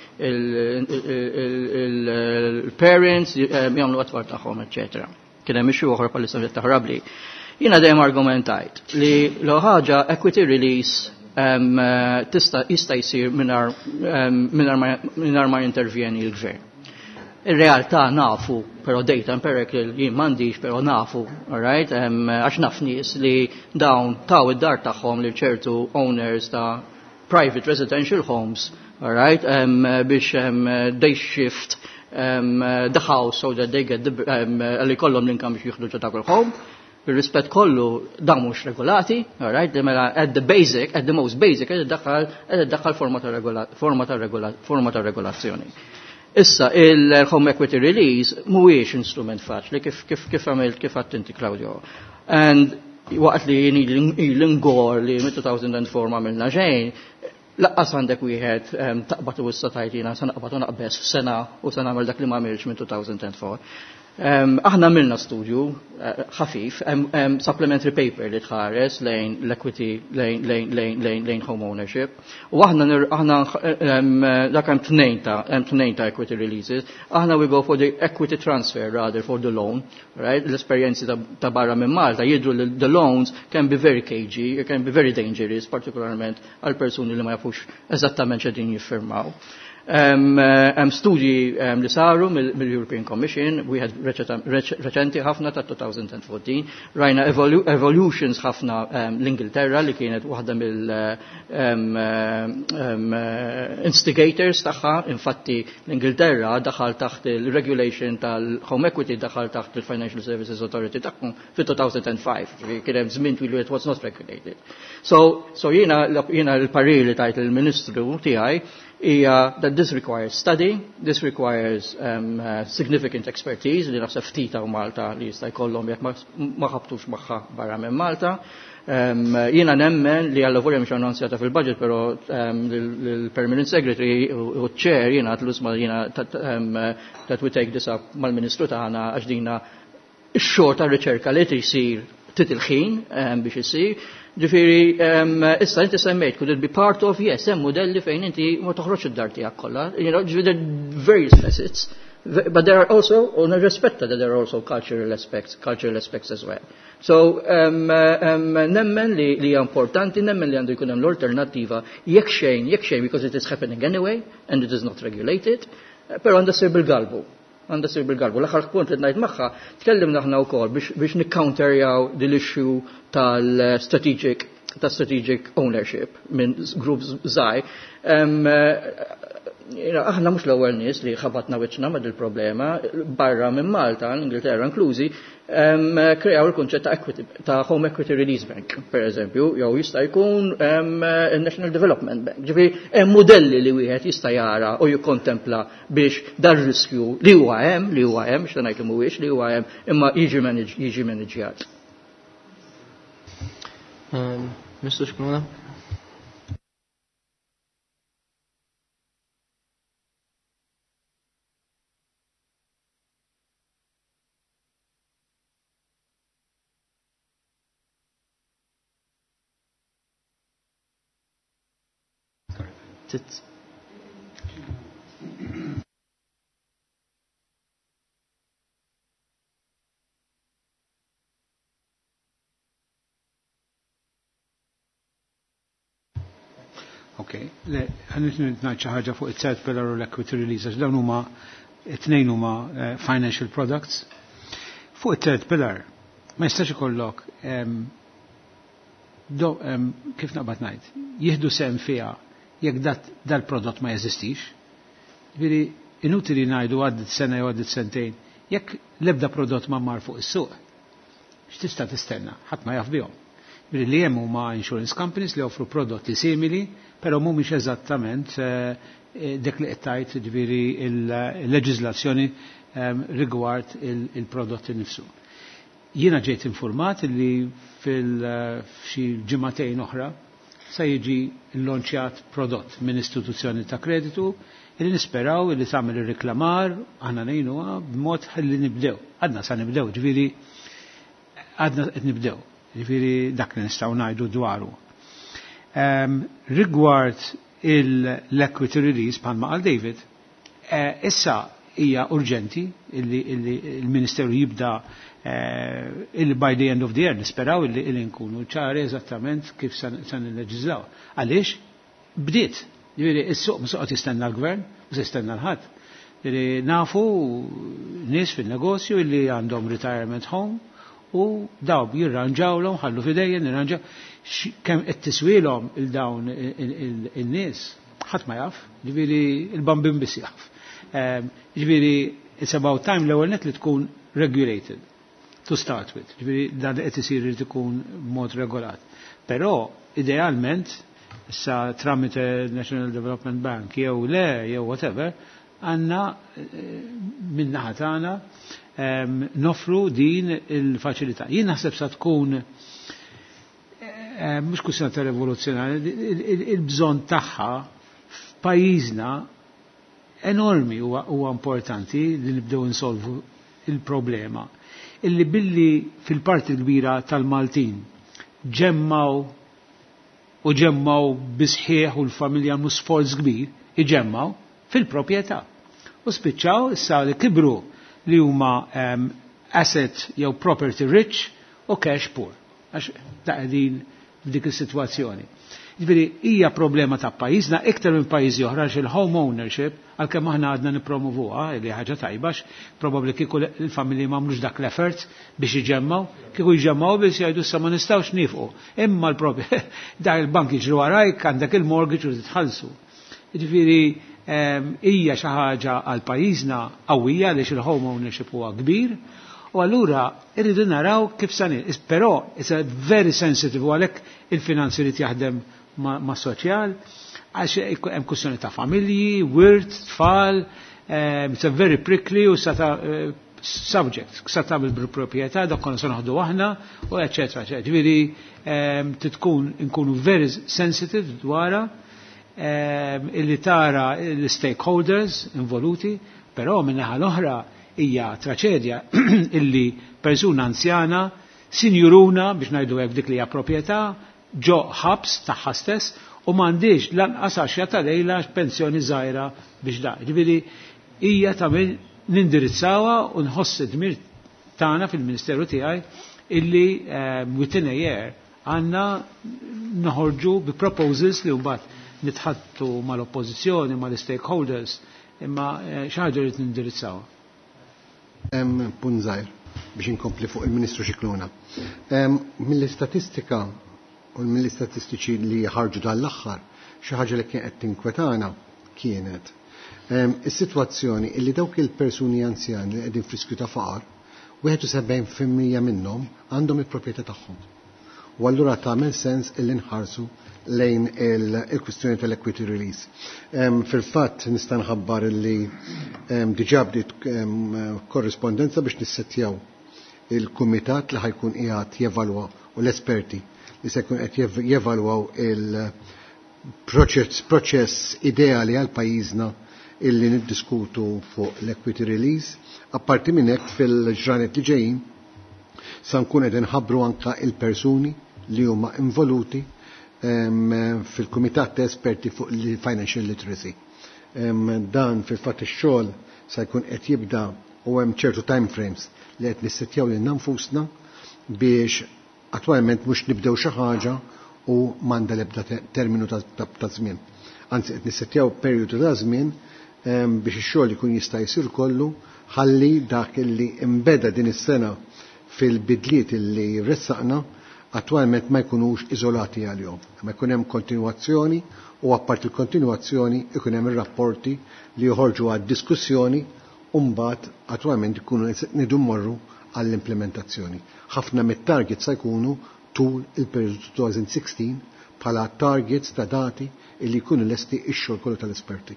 il-parents jagħmlu għat-tfal tagħhom, eċċetera. Kien hemm issue oħra bħalissa taħrabli. Jiena dejjem argumentajt li l ħaġa equity release um, tista' jista' jsir mingħajr ma jintervjeni l-gvern. Ir-realtà nafu, però data empirical jien m'għandix, però nafu, all right? Għax naf nies li dawn taw id-dar tagħhom li ċertu owners ta' private residential homes, all right? Um, biex um, they shift um, the house so that they get the, um, li kollhom l-income biex jieħdu ġo dak il-home. Bir-rispett kollu, dawn mhux regolati, all right? Mela at the basic, at the most basic, qed iddaħħal qed iddaħħal forma ta' regola, forma ta' regola, forma ta' regolazzjoni. Issa, il-Home Equity Release mhuwiex instrument faċli kif kif kif għamilt kif għedt inti, Claudio. And waqt li jien l-ingor li mit-two thousand four ma għamilna xejn, lanqas għandek wieħed taqbad u issa tajtina sa naqbad u naqbes f'sena u se nagħmel dak li ma għamilx minn two thousand four. Um, aħna għamilna studju uh, ħafif, um, um, supplementary paper li tħares lejn l-equity, lejn, lejn, lejn, lejn, lejn home ownership. U aħna, aħna um, dak hemm tnejn ta' hemm tnejn ta' equity releases. Aħna we go for the equity transfer rather for the loan, right? L-esperjenzi ta', ta barra minn Malta jidru li the loans can be very cagey, can be very dangerous, partikolarment għal persuni li ma jafux eżattament x'qegħdin jiffirmaw. Um, um, studji um, li saru mill-European Commission, we had reċenti ħafna ta' twenty fourteen, rajna evolu evolutions ħafna um, l-Ingilterra li kienet waħda mill um, um, instigators tagħha. Infatti l-Ingilterra daħal taħt il-regulation tal-home equity, daħal taħt il-Financial Services Authority tagħhom fit-two thousand five, kien hemm żmien twil it was not regulated. So, so jiena jiena l-parir li tajt il-Ministru tiegħi hija that this requires study, this requires um, uh, significant expertise li naħseb ftit hawn Malta li jista' jkollhom jekk ma ħabtux magħha barra minn Malta. Um, jiena nemmen li għalla volja mhux annunzjata fil-budget, però um, l-Permanent Secretary u chair jiena għedtlu isma', jiena um, that we take this up mal-Ministru tagħna, għax dina x-xogħol ta' riċerka li jsir trid il-ħin um, biex isir. Ġifieri, um, issa inti semmejt, could it be part of, yes, hemm modelli fejn inti ma toħroġ id-dar tiegħek kollha. You know, ġifieri, various facets. But there are also, u nirrispetta that there are also cultural aspects, cultural aspects as well. So, um, um, nemmen li, li hija importanti, nemmen li għandu jkun hemm l-alternattiva, jekk xejn, jekk xejn, because it is happening anyway, and it is not regulated, però għandha ssir bil-galbu, għandha ssir bil-galbu. L-aħħar punt li ngħid magħha, tkellimna aħna wkoll biex, biex nikcounterjaw din l-issue tal-strategic ta' strategic ownership minn groups żgħar. Um, Aħna mhux l-ewwel nies li ħabatna wiċċna ma' dil-problema, barra minn Malta, l-Ingilterra inklużi, kreaw il-kunċett ta' equity, ta' Home Equity Release Bank, per eżempju, jew jista' jkun National Development Bank. Ġifieri hemm modelli li wieħed jista' jara u jikkontempla biex dar riskju li huwa hemm, li huwa hemm, x'ta ngħid li mhuwiex li huwa hemm, imma jiġi jiġi maniġjat. Mister Scicluna? Ok, le, għan ngħid xi ħaġa fuq it-third pillar u l-equity release, għax dawn huma it-tnejn huma financial products. Fuq it-third pillar, ma jistax ikollok kif naqbad ngħid, jieħdu sehem fiha jekk dal-prodott ma jeżistix. Ġifieri inutili ngħidu għaddit sena jew għaddit sentejn, jekk l-ebda prodott ma mar fuq is-suq, x'tista' tistenna, ħadd ma jaf bihom. Ġifieri li hemm huma insurance companies li offru prodotti simili, però mhumiex eżattament dik li qed tgħid ġifieri il-leġiżlazzjoni rigward il-prodott innifsu. Jiena ġejt informat li fil-xi ġimagħtejn oħra sa jiġi l-lonċjat prodott minn istituzzjoni ta' kreditu illi nisperaw illi tagħmel ir-reklamar aħna ngħinuha b'mod ħalli nibdew. Għadna sa nibdew, ġifieri għadna qed nibdew, ġifieri dak li nistgħu ngħidu dwaru. Um, rigward l-equity release bħalma qal David, eh, issa hija urġenti illi, illi il-Ministeru jibda illi by the end of the year nisperaw illi illi nkunu ċari eżattament kif sa nilleġislaw. Għaliex bdiet, ġifieri is-suq mhux qed jistenna l-gvern, mhux jistenna l-ħadd. Ġifieri nafu nies fin-negozju illi għandhom retirement home u daw jirranġawlhom, ħallu fidejjen, jirranġaw kemm qed tiswielhom il dawn in-nies, ħadd ma jaf, ġifieri il-bambin biss jaf. Ġifieri it's about time l-ewwel net li tkun regulated to start with. Ġifieri dan li qed isir irid ikun mod regolat. Però idealment issa tramite National Development Bank jew le jew whatever, għandna min-naħa tagħna nofru din il-faċilità. Jien naħseb sa tkun mhux kwistjoni ta' rivoluzzjonarja, il-bżonn tagħha f'pajjiżna enormi huwa importanti li nibdew insolvu il-problema. Illi billi fil-parti kbira tal-Maltin ġemmaw u ġemmaw bisħieħ u l-familja għamlu sforz kbir, iġemmaw fil-proprjetà. U spiċċaw issa li kibru li huma um, asset jew property rich u cash poor. Għax ta' qegħdin f'dik is-sitwazzjoni. Ġifieri hija problema ta' pajjiżna iktar minn pajjiżi oħra għax il-home ownership għalkemm aħna għadna nippromovuha li ħaġa tajba probabbli kieku l-familji m'għamlux dak l-effort biex iġemmaw, kieku jġemmaw biex jgħidu issa ma nistgħux nifqu. Imma l-propri dak il-bank jiġru warajk għandek il-mortgage u titħallsu. Ġifieri hija xi ħaġa għal pajjiżna qawwija għaliex il-home ownership huwa kbir. U allura irridu naraw kif sanin. Però it's a very sensitive u għalhekk il-finanzi li jaħdem ma' soċjal, għax hemm kwistjoni ta' familji, wirt, tfal, it's a very prickly u sa ta' subject, sa tagħmel bil-proprjetà, dak konna se naħdu aħna, u eċetera, eċetera. Ġifieri titkun inkunu very sensitive dwarha illi tara l-stakeholders involuti, però min-naħa l-oħra hija traċedja illi persuna anzjana, sinjuruna biex ngħidu hekk dik li hija proprjetà, ġo ħabs tagħha stess u m'għandix lanqas għaxja ta' lejla pensjoni żgħira biex da. Ġifieri hija ta' min nindirizzawha u nħoss id-dmir tagħna fil-Ministeru tiegħi illi within a year għandna noħorġu bi proposals li mbagħad nitħattu mal-oppożizzjoni, mal-stakeholders, imma xi ħaġa li nindirizzawha. Hemm punt żgħir biex inkompli fuq il-Ministru Scicluna. Mill-istatistika u mill-istatistiċi li ħarġu dan l-aħħar, xi ħaġa li kien qed tinkwetana kienet Is-sitwazzjoni illi dawk il-persuni anzjani li qegħdin f'riskju ta' faqar, wieħed u sebgħin fil-mija minnhom għandhom il-proprjetà tagħhom. U allura tagħmel sens illi nħarsu lejn il-kwistjoni tal-equity release. Fil-fatt nista' nħabbar illi diġà bdiet korrispondenza biex nissettjaw il-kumitat li ħa jkun qiegħed jevalwa u l-esperti li se jkun qed jevalwaw il-proċess proċess ideali għal pajjiżna illi niddiskutu fuq l-equity release. Apparti minn hekk, fil-ġranet li ġejjin sa nkun qed inħabbru anka il-persuni li huma involuti fil-kumitat ta' esperti fuq il-financial literacy. Dan fil-fatt ix-xogħol sa jkun qed jibda u hemm ċertu time frames li qed nissettjaw lil nfusna biex attwalment mhux nibdew xi ħaġa u m'għandha l-ebda terminu ta' żmien. Anzi, qed nissettjaw perjodu ta' żmien biex ix-xogħol ikun jista' jsir kollu ħalli dak illi imbeda din is-sena fil-bidliet illi ressaqna attwalment ma jkunux iżolati għalihom. Ma jkun hemm kontinwazzjoni u apparti il-kontinwazzjoni ikun hemm ir-rapporti li joħorġu għad diskussjoni u mbagħad attwalment ikunu nidu mmorru għall-implementazzjoni. Ħafna mit-targets se jkunu tul il-periodu elfejn u sittax bħala targets ta' dati illi jkunu lesti ix-xogħol kollu tal-esperti.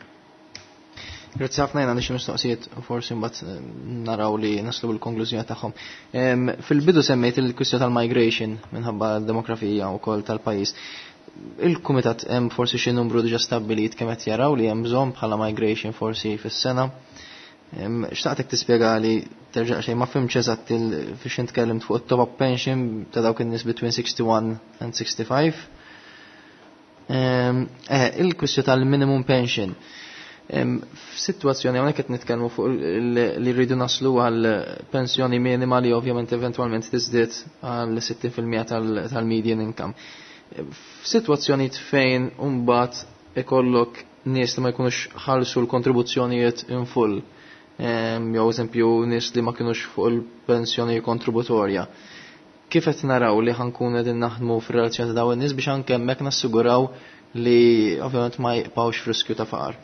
Grazzi ħafna. Jiena xi mistoqsijiet u forsi mbagħad eh, naraw li naslu bil-konklużjoni tagħhom. Fil-bidu semmejt il-kwistjoni tal-migration minħabba l-demografija wkoll tal-pajjiż. Il-kumitat hemm forsi xi numru diġà stabbilit kemm qed jaraw li hemm bżonn bħala migration forsi fis-sena? Xtaqtek tispjega li terġa' xejn ma fhimtx eżatt fiex intkellimt fuq it-top-up pension ta' dawk in-nies between sixty-one and sixty-five. Eh, il-kwistjoni tal-minimum pension. F'sitwazzjoni hawnhekk qed nitkellmu fuq li rridu naslu għal pensjoni minima li ovvjament eventwalment tiżdied għal sittin fil-mija tal-median income. F'sitwazzjoni fejn mbagħad ikollok nies li ma jkunux ħallsu l-kontribuzzjonijiet in full, jew eżempju nies li ma kinux fuq il-pensjoni kontributorja. Kif qed naraw li ħa nkunu qegħdin naħdmu fir-relazzjoni ta' dawn in-nies biex anke hemmhekk nassiguraw li ovvjament ma jibqgħux f'riskju ta' faqar?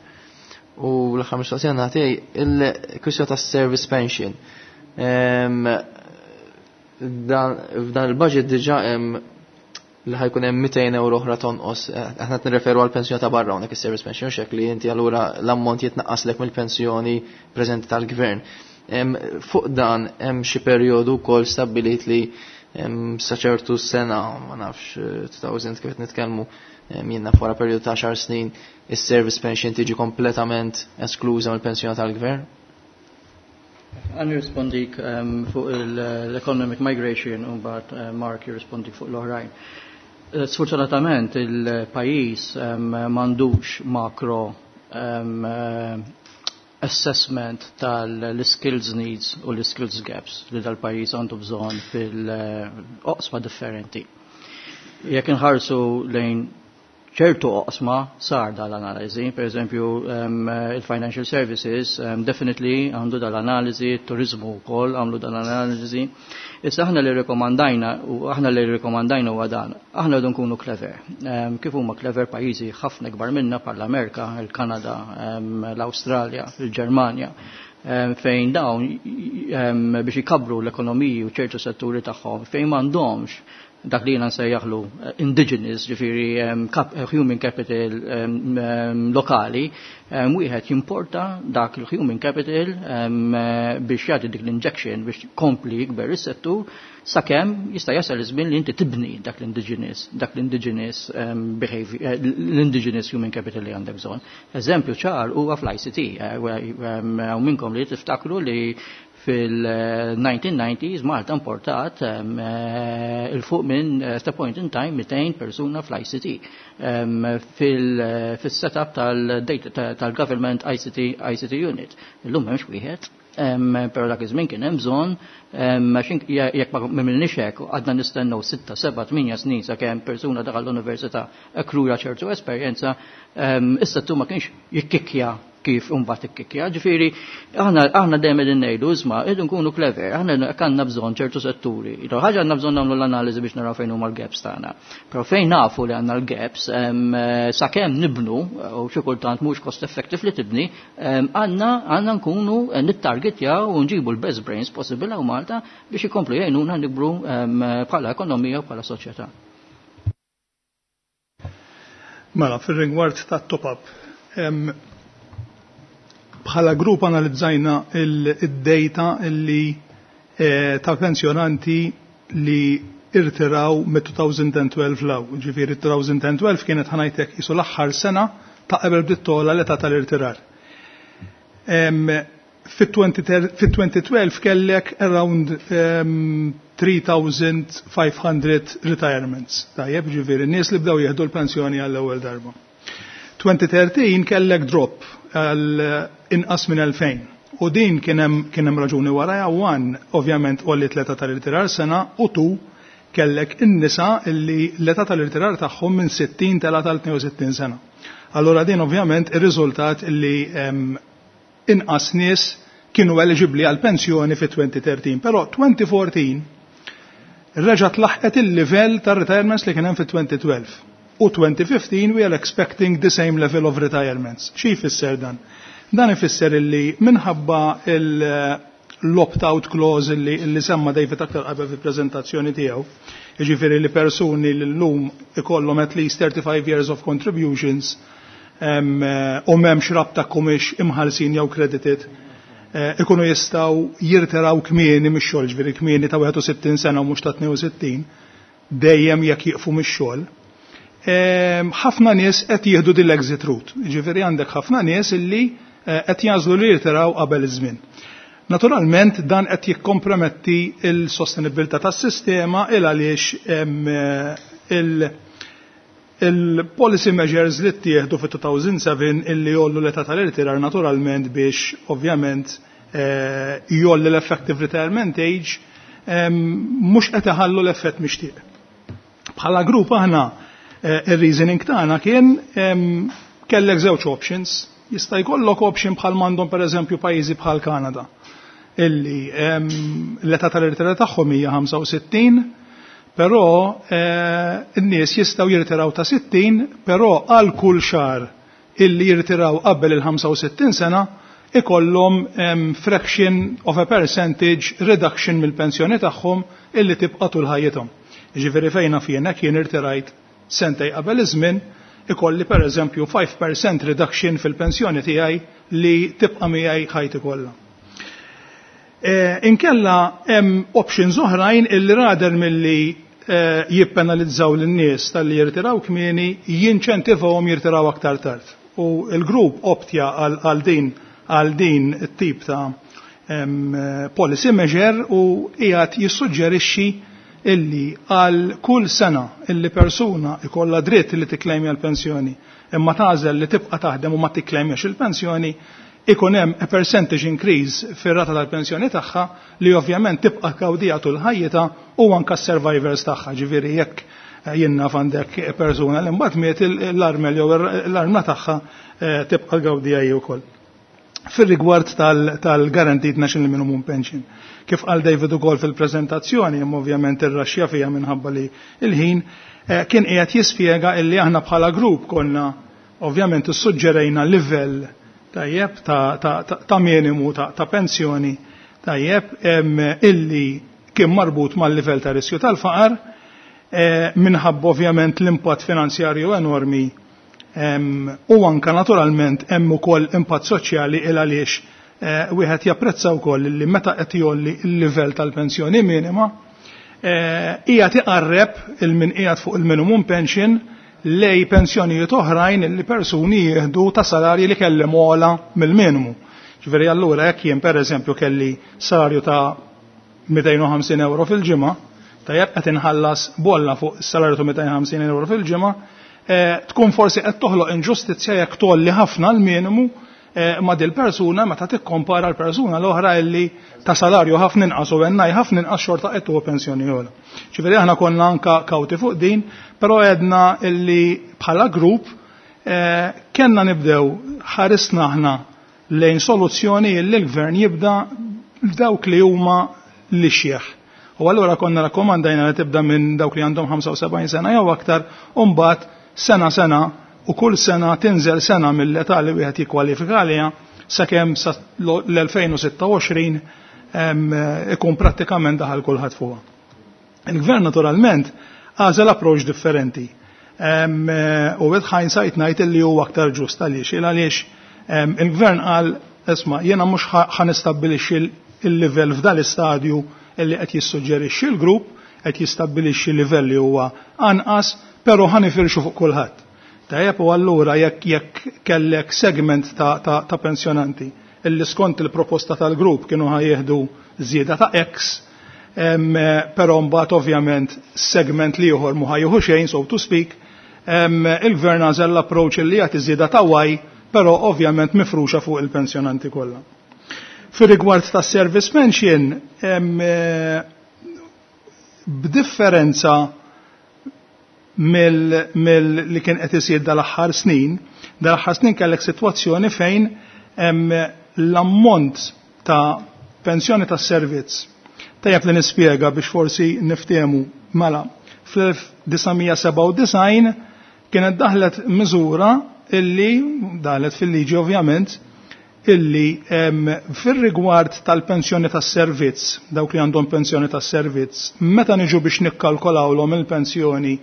U l-aħħar mistoqsija nagħti il-kwistjoni ta' service pension. F'dan il-budget diġà hemm li ħa jkun hemm mitejn euro oħra tonqos. Aħna qed nirreferu għal pensjoni ta' barra hawnhekk, is-service pension, xek li inti allura l-ammont jitnaqqaslek mill-pensjoni preżenti tal-gvern. Fuq dan hemm xi perjodu wkoll stabbilit li sa ċertu sena, ma nafx, elfejn kif qed nitkellmu, jiena wara perjodu ta' għaxar snin, is-service pension tiġi kompletament eskluża mill-pensjoni tal-gvern? Ħa nirrispondik um, fuq l-economic migration u mbagħad uh, Mark jirrispondik fuq l-oħrajn. Eh, sfortunatament il-pajjiż um, m'għandux macro um, assessment tal-skills needs u l-skills gaps li dal-pajjiż għandu bżonn fil-oqsma differenti. Jekk inħarsu lejn ċertu oqsma sar dal-analiżi, per eżempju um, il-financial services um, definitely għandu dal-analiżi, turizmu wkoll għamlu dal-analiżi. Issa aħna li rekomandajna u aħna li rekomandajna huwa dan, aħna rridu nkunu clever. Um, kif huma clever pajjiżi ħafna kbar minna bħal Amerika, il-Kanada, um, l-Awstralja, il-Ġermanja, fejn dawn biex ikabru l-ekonomiji u ċertu setturi tagħhom fejn m'għandhomx dak li jiena nsejjaħlu eh, indigenous, ġifieri eh, human capital lokali, wieħed jimporta dak il-human capital eh, biex jagħti dik l-injection biex kompli jikber is-settur sakemm jista' jasal iż-żmien li inti tibni dak l-indigenous, dak l-indigenous behavior, l-indigenous human capital li għandek bżonn. Eżempju ċar huwa fl-I C T, u minnkom li tiftakru li fil-nineteen nineties Malta importat eh, il-fuq minn eh, at a point in time mitejn persuna fl-I C T fil-setup tal-government I C T, I C T unit. Illum m'hemmx wieħed, pero dak iż-żmien kien hemm bżonn, jekk ma m'għamilniex hekk għadna nistennew sitta, seba', tmienja snin sakemm persuna daħal l-università akkruja ċertu esperjenza, issa tu ma kienx jikkikja. Kif imbagħad ikkikja. Ġifieri aħna aħna dejjem qegħdin ngħidu, isma', qegħdu nkunu clever, aħna għandna bżonn ċertu setturi. Ħaġa, għandna bżonn nagħmlu l-analiżi biex naraw fejn huma l-gaps tagħna. Però fejn nafu li għandna l-gaps, sakemm nibnu, u xi kultant mhux cost effective li tibni, għandna għandna nkunu nittargetjaw u nġibu l-best brains possible hawn Malta biex ikomplu jgħinuna nikbru bħala ekonomija u bħala soċjetà. Mela, fil-rigward ta' top-up, bħala grupp analizzajna il-data illi eh, ta' pensjonanti li irtiraw mit-elfejn u tnax 'l hawn. Ġifieri elfejn u tnax kienet, ħa ngħidlek, qisu l-aħħar sena ta' qabel bdiet togħla l-età tal-irtirar. Fit-elfejn u tnax kellek around tliet elef u ħames mija retirements. Tajjeb, ġifieri nies li bdew jieħdu l-pensjoni għall-ewwel darba. elfejn u tlettax kellek drop għal inqas minn elfejn. U din kien hemm raġuni warajha: one, ovvjament għolli l-età tal-irtirar sena, u two, kellek in-nisa illi l-età tal-irtirar tagħhom minn sittin tela tal-tnejn u sittin sena. Allora din ovvjament ir-riżultat illi inqas nies kienu eligibli għal pensjoni fi elfejn u tlettax. Però elfejn u erbatax reġat laħqet il-livell tar retirements li kien hemm fi elfejn u tnax. U elfejn u ħmistax we are expecting the same level of retirements. Xi jfisser dan? Dan ifisser illi minħabba l-opt-out clause illi, illi semma David aktar qabel fil-prezentazzjoni tiegħu, jiġifieri li persuni li llum ikollhom at least thirty-five years of contributions um, u m'hemmx rabta kumiex imħalsin jew credited, eh, ikunu jistgħu jirtiraw kmieni mix-xogħol, ġifieri kmieni ta' wieħed u sittin sena u mhux ta' tnejn u sittin, dejjem jekk jieqfu mix-xogħol. Ħafna nies qed jieħdu din l-exit route. Ġifieri għandek ħafna nies illi eh, qed jagħżlu li jirtiraw qabel iż-żmien. Naturalment dan qed jikkomprometti il-sostenibilità tas-sistema, il għaliex il- il-policy measures li ttieħdu fit-elfejn u sebgħa illi jgħollu l-età tal-irtirar naturalment biex ovvjament eh, jgħolli l-effective retirement age mhux qed iħallu l-effett mixtieq. Bħala grupp aħna eh, ir-reasoning tagħna kien kellek żewġ options. Jista' jkollok option bħal m'għandhom, pereżempju, pajjiżi bħal Kanada illi l-età tal-irtirar tagħhom hija ħamsa u sittin, però eh, n-nies jistgħu jirtiraw ta' sittin, però għal kull xahar illi jirtiraw qabel il-ħamsa u sittin sena ikollhom fraction of a percentage reduction mill-pensjoni tagħhom illi tibqa' tul ħajjithom. Jiġifieri fejna fjena kien irtirajt sentejn qabel iż-żmien, ikolli pereżempju five percent reduction fil-pensjoni tiegħi li tibqa' miegħi ħajti kollha. E, inkella hemm options oħrajn illi rather milli e, jippenalizzaw lin-nies tal-li jirtiraw kmieni, jinċentivawhom jirtiraw aktar tard. U l-grupp optja għal din għal din it-tip ta' policy measure u qiegħed jissuġġerixxi illi għal kull sena illi persuna ikolla dritt li tikklejmja l-pensjoni imma tagħżel li tibqa' taħdem u ma tikklejmjax il-pensjoni, ikun hemm a percentage increase fir-rata tal-pensjoni tagħha li ovvjament tibqa' tgawdiha tul ħajjitha u anka s-survivors tagħha. Ġifieri jekk jiena għandek persuna li mbagħad miet, l-armel jew l-armla tagħha eh, tibqa' tgawdiha hi wkoll. Fil-rigward tal-Guaranteed National Minimum Pension, kif qal David ukoll fil-prezentazzjoni, imma ovvjament ir-raxja fija minħabba li il-ħin, eh, kien qiegħed jispjega illi aħna bħala grupp konna ovvjament issuġġerejna livell tajjeb ta', ta, ta, ta minimu ta', ta pensjoni tajjeb illi kien marbut mal-livell ta' riskju tal-faqar eh, minħabba ovvjament l-impatt finanzjarju enormi u anka naturalment hemm ukoll impatt soċjali, il għaliex eh, wieħed japprezza wkoll li meta qed jgħolli l-livell tal-pensjoni minima eh, qiegħed iqarreb il-min qiegħed fuq il-minimum pension lej pensjonijiet oħrajn li persuni jieħdu ta' salarji li kellhom ogħla mill-minimu. Ġifieri allura jekk jien, pereżempju, kelli salarju ta' mitejn u ħamsin euro fil-ġimgħa, tajjeb, qed inħallas bolla fuq is-salarju ta' mitejn u ħamsin euro fil-ġimgħa, eh, tkun forsi qed toħloq inġustizzja jekk tgħolli ħafna l-minimu eh, ma' dil persuna meta tikkompara l-persuna l-oħra illi ta' salarju ħafna inqas u għennaj ħafna inqas xorta qed tuħu pensjoni ogħla. Ġifieri aħna konna anka kawti fuq din, però għedna illi bħala grupp eh, kellna nibdew ħarisna aħna lejn soluzzjoni li l-gvern jibda dawk li huma l-ixjeħ. U allura konna rakkomandajna li tibda minn dawk li għandhom ħamsa u sebgħin sena jew aktar, u mbagħad sena sena u kull sena tinżel sena mill-età li wieħed jikkwalifika għaliha sakemm sa l-elfejn u sitta u għoxrin ikun prattikament daħal kulħadd fuqha. Il-gvern naturalment għażel approach differenti. U with hindsight ngħid li huwa aktar ġust. Għaliex? Għaliex il-gvern qal, "Isma', jiena mhux ħa nistabbilixxi il-livell f'dal istadju illi qed jissuġġerixxi l-grupp, qed jistabbilixxi livell li huwa anqas, però ħa nifirxu fuq kulħadd." Tajjeb, u allura jekk jekk kellek segment ta', ta, ta' pensjonanti illi skont il-proposta tal-grupp kienu ħa jieħdu żieda ta' X, però mbagħad ovvjament segment l-ieħor mhu ħa jieħu xejn, so to speak, il-gvern għażel l-approach li jagħti żieda ta' Y, però ovvjament mifruxa fuq il-pensjonanti kollha. Fir-rigward ta' service pension, b'differenza mill, mill li kien qed isir dal-aħħar snin, dal-aħħar snin kellek sitwazzjoni fejn l-ammont ta' pensjoni ta' servizz. Tajjeb li nispjega biex forsi niftehmu. Mela, fl-elf disa' mija sebgħa u disgħin kienet daħlet miżura illi daħlet fil-liġi ovvjament illi fir-rigward tal-pensjoni tas-servizz, dawk li għandhom pensjoni tas-servizz, meta niġu biex nikkalkolawlhom il-pensjoni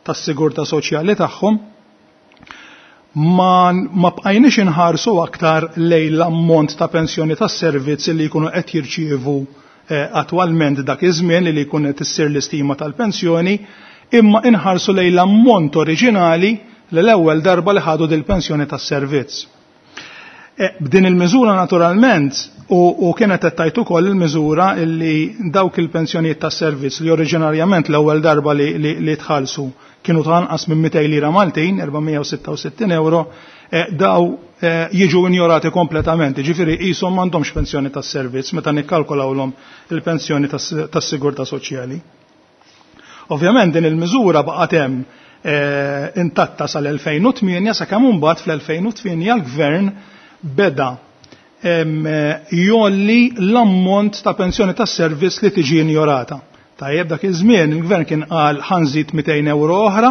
tas-sigurtà soċjali tagħhom, ma, ma bqajniex inħarsu aktar lejn l-ammont ta' pensjoni tas-servizz li jkunu qed jirċievu eh, attwalment dak iż-żmien li jkun qed issir l-istima tal-pensjoni, imma inħarsu lejn l-ammont oriġinali li l-ewwel darba li ħadu dil-pensjoni tas-servizz. E, b'din il-miżura naturalment u, u kienet qed tgħid ukoll il-miżura illi dawk il-pensjonijiet tas-servizz li oriġinarjament l-ewwel darba li, li, li tħallsu kienu ta' anqas minn mitejn lira Maltin, erba' mija u sitta u sittin euro, e, daw e, jiġu injorati kompletament, ġifieri qishom m'għandhomx pensjoni tas-servizz meta nikkalkolawlhom il-pensjoni tas-sigurtà soċjali. Ovvjament din il-miżura baqgħet hemm e, intatta sal-elfejn u tmienja, sakemm imbagħad fl-elfejn u tmienja l-gvern beda jgħolli l-ammont ta' pensjoni tas-servizz li tiġi injorata. Tajjeb, dak iż-żmien il-gvern kien qal ħa nżid mitejn euro oħra,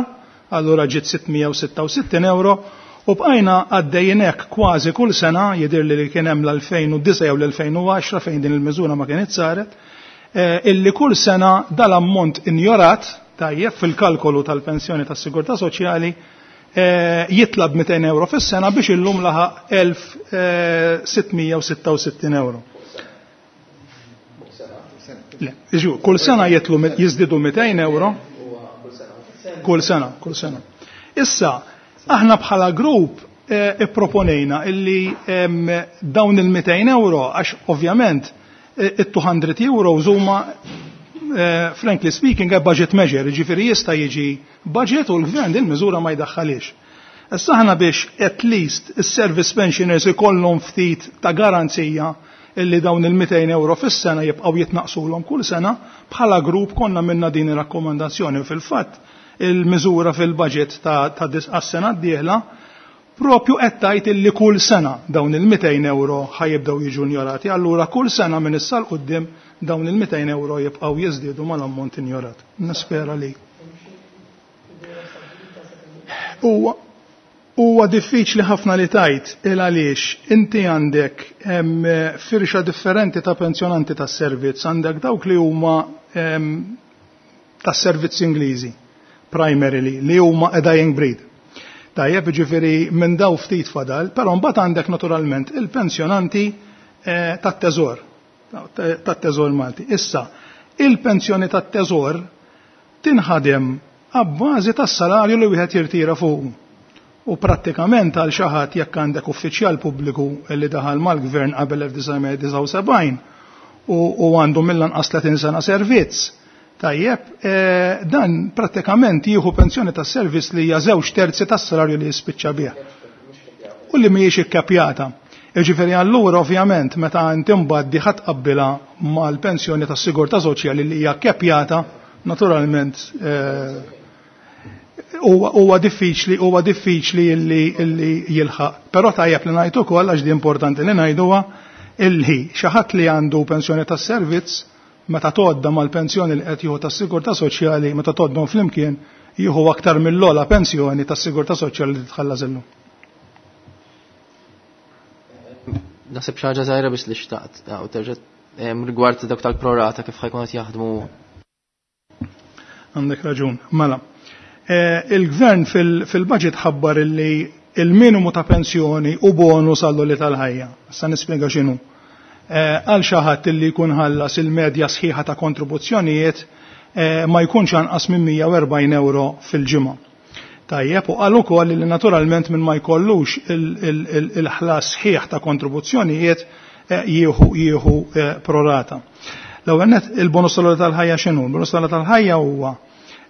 allura ġiet sitt mija u sitta u sittin euro, u bqajna għaddejjin hekk kważi kull sena. Jidhirli li kien hemm l-elfejn u disgħa jew l-elfejn u għaxra fejn din il-miżura ma kienet saret, eh, illi kull sena dal-ammont injorat, tajjeb, fil-kalkolu tal-pensjoni tas-sigurtà soċjali eh, jitla' mitejn euro fis-sena biex illum laħaq elf sitt mija u sitta u sittin euro. Le, kull sena jitlu jiżdiedu mitejn euro. Kull sena, kull sena. Issa, aħna bħala grupp eh, ipproponejna illi dawn il-mitejn euro, għax ovvjament eh, it-two hundred euro huma eh, frankly speaking a budget measure, ġifieri jista' jiġi budget u l-gvern din miżura ma jdaħħalix. Issa aħna biex at least is-service pensioners ikollhom ftit ta' garanzija illi dawn il-mitejn euro fis-sena jibqgħu jitnaqsulhom kull sena, bħala grupp konna għamilna din ir-rakkomandazzjoni. Fil-fatt il-miżura fil-budget ta', ta għas-sena d-dieħla propju qed tgħid illi kull sena dawn il-mitejn euro ħa jibdew jiġu injorati. Allura kull sena minn issa 'l quddiem dawn il-mitejn euro jibqgħu jiżdiedu mal-ammont injorat. Nispera li. Huwa Huwa diffiċli ħafna li tgħid, il għaliex inti għandek firxa differenti ta' pensjonanti tas servizz, għandek dawk li huma tas servizz Ingliżi, primarily, li huma a dying breed. Tajjeb, ġifieri minn daw ftit fadal, però mbagħad għandek naturalment il-pensjonanti eh, tat-teżor, tat-teżor Malti. Issa, il-pensjoni tat-teżor tinħadem abbażi tas-salarju li wieħed jirtira fuq. U prattikament għal xi ħadd, jekk għandek uffiċjal pubbliku li daħal mal-gvern qabel elf disa' mija disgħa u sebgħin u għandu mill-anqas tletin sena servizz, tajjeb, eh, dan prattikament jieħu pensjoni tas servizz li hija żewġ terzi tas-salarju li jispiċċa bih. U li mhijiex ikkapjata. Jiġifieri allura ovvjament meta inti mbagħad ħa tqabbilha mal-pensjoni tas-sigurtà soċjali li hija kepjata, naturalment eh, huwa diffiċli huwa diffiċli illi illi jilħaq. Però tajjeb li ngħid ukoll għax di importanti li ngħiduha illi xi ħadd li għandu pensjoni tas-servizz meta tgħodda mal-pensjoni li qed jieħu tas-sigurtà soċjali meta tgħoddhom flimkien jieħu aktar mill-ogħla pensjoni tas-sigurtà soċjali li titħallas illum. Naħseb xi ħaġa żgħira biex li xtaqt u terġa' rigward dak tal-prorata kif ħajkun qed jaħdmu. Għandek raġun, mela. Il-gvern fil-budget ħabbar illi il-minimu ta' pensjoni u bonus għall-għoli tal-ħajja. Issa nispjega x'inhu. Għal xi ħadd illi jkun ħallas il-medja sħiħa ta' kontribuzzjonijiet ma jkunx anqas minn mija u erbgħin euro fil-ġimgħa. Tajjeb, u qal ukoll li naturalment minn ma jkollux il-ħlas sħiħ ta' kontribuzzjonijiet jieħu jieħu prorata. L-ewwel nett il-bonus tal-għoli tal-ħajja x'inhu? Il-bonus tal-għoli tal-ħajja huwa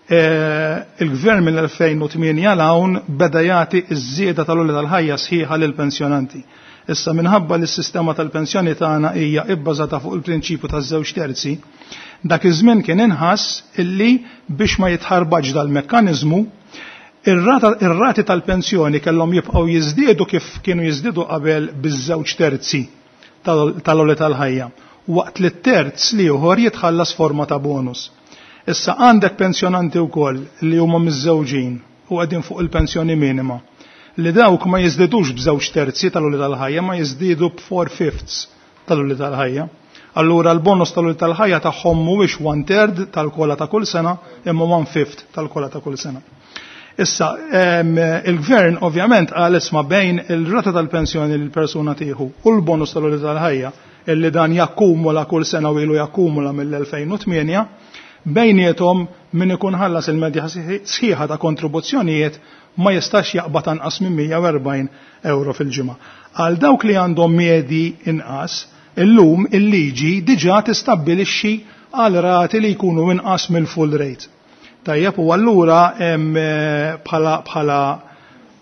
il-gvern mill-elfejn u tmienja 'l hawn beda jagħti ż-żieda tal-għoli tal-ħajja sħiħa lill-pensjonanti. Issa minħabba li s-sistema tal-pensjoni tagħna hija ibbażata fuq il-prinċipju taż-żewġ terzi, dak iż-żmien kien inħass illi biex ma jitħarbaġ dal-mekkaniżmu, ir-rati tal-pensjoni kellhom jibqgħu jiżdiedu kif kienu jiżdiedu qabel biż-żewġ terzi tal-għoli tal-ħajja, waqt li t-terz li ieħor jitħallas forma ta' bonus. Issa għandek pensjonanti wkoll li huma miżżewġin u qegħdin fuq il-pensjoni minima, li dawk ma jiżdidux b'żewġ terzi tal-għoli tal-ħajja, ma jiżdiedu b'four fifths tal-għoli tal-ħajja. Allura l-bonus tal-għoli tal-ħajja tagħhom mhuwiex one third tal-kola ta' kull sena, imma one fifth tal-kola ta' kull sena. Issa, il-gvern ovvjament qal isma' bejn il-rata tal-pensjoni li l-persuna tieħu u l-bonus tal-għoli tal-ħajja illi dan jakkumula kull sena u ilu jakkumula mill-elfejn u tmienja, bejniethom min ikun ħallas il-medja sħiħa ta' kontribuzzjonijiet ma jistax jaqbad anqas minn mija u erbgħin euro fil-ġimgħa. Għal dawk li għandhom medji inqas, illum il-liġi diġà tistabbilixxi għal rati li jkunu inqas mill-full rate. Tajjeb, u allura bħala bħala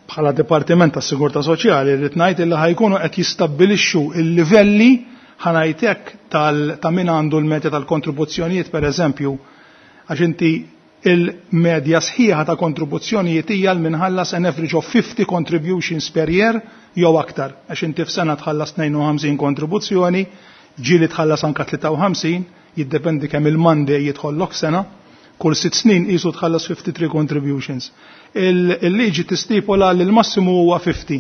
bħala Dipartiment tas-Sigurtà Soċjali rrid ngħid illi ħajkunu qed jistabbilixxu il-livelli ħanajtek ta' min għandu l-medja tal-kontribuzzjonijiet pereżempju, għax inti il-medja sħiħa ta' kontribuzzjonijiet hija l minħallas an average of fifty contributions per year jew aktar, għax inti f'sena tħallas tnejn u ħamsin kontribuzzjoni, ġieli tħallas anka tlieta u ħamsin, jiddependi kemm il-Monday jidħollok sena, kull sitt snin qisu tħallas fifty-three contributions. Il-liġi tistipola li l-massimu huwa fifty.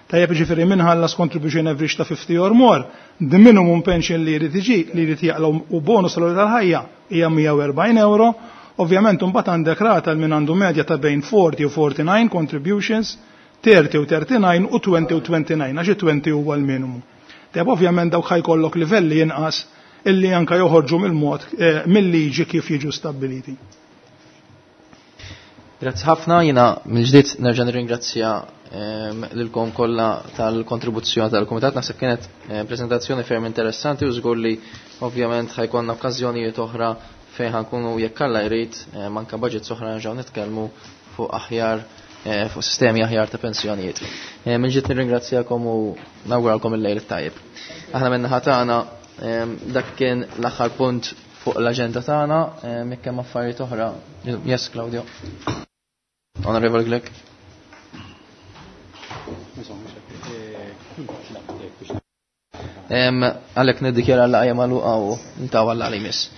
Tajjeb, ġifieri minħallas contribution average ta' fifty or more, the minimum pension li jrid iġi, li jrid jaqla' u bonus tal-għoli tal-ħajja hija mija u erbgħin euro. Ovvjament imbagħad għandek rata min għandu medja ta' bejn forty u forty-nine contributions, thirty u thirty-nine u twenty u twenty-nine, għax twenty huwa l-minimu. Tajjeb, ovvjament dawk ħajkollok livelli inqas illi anka joħorġu mill-mod, eh, mill-liġi kif jiġu stabbiliti. Grazzi ħafna, jiena mill-ġdid nerġa' nirringrazzja, ehm, lilkom kollha tal-kontribuzzjoni tal-Kumitat. Naħseb kienet, eh, prezentazzjoni ferm interessanti u żgur li ovvjament ħajkonna okkażjonijiet oħra fejn ħankunu jekk Alla jrid, eh, manka budgets oħra nerġgħu nitkellmu fuq aħjar, eh, fuq sistemi aħjar ta' pensjonijiet. Eh, mill-ġdid nirringrazzjakom u nawguralkom il-lejl it-tajjeb. Aħna min-naħa tagħna, ehm, dak kien l-aħħar punt fuq l-aġenda tagħna, ehm, jekk hemm affarijiet oħra. Yes, Claudio. Onorevole Grech. Ehm, għalhekk niddikjara l-laqgħa magħluqa u ntawa l-laqgħa li jmiss.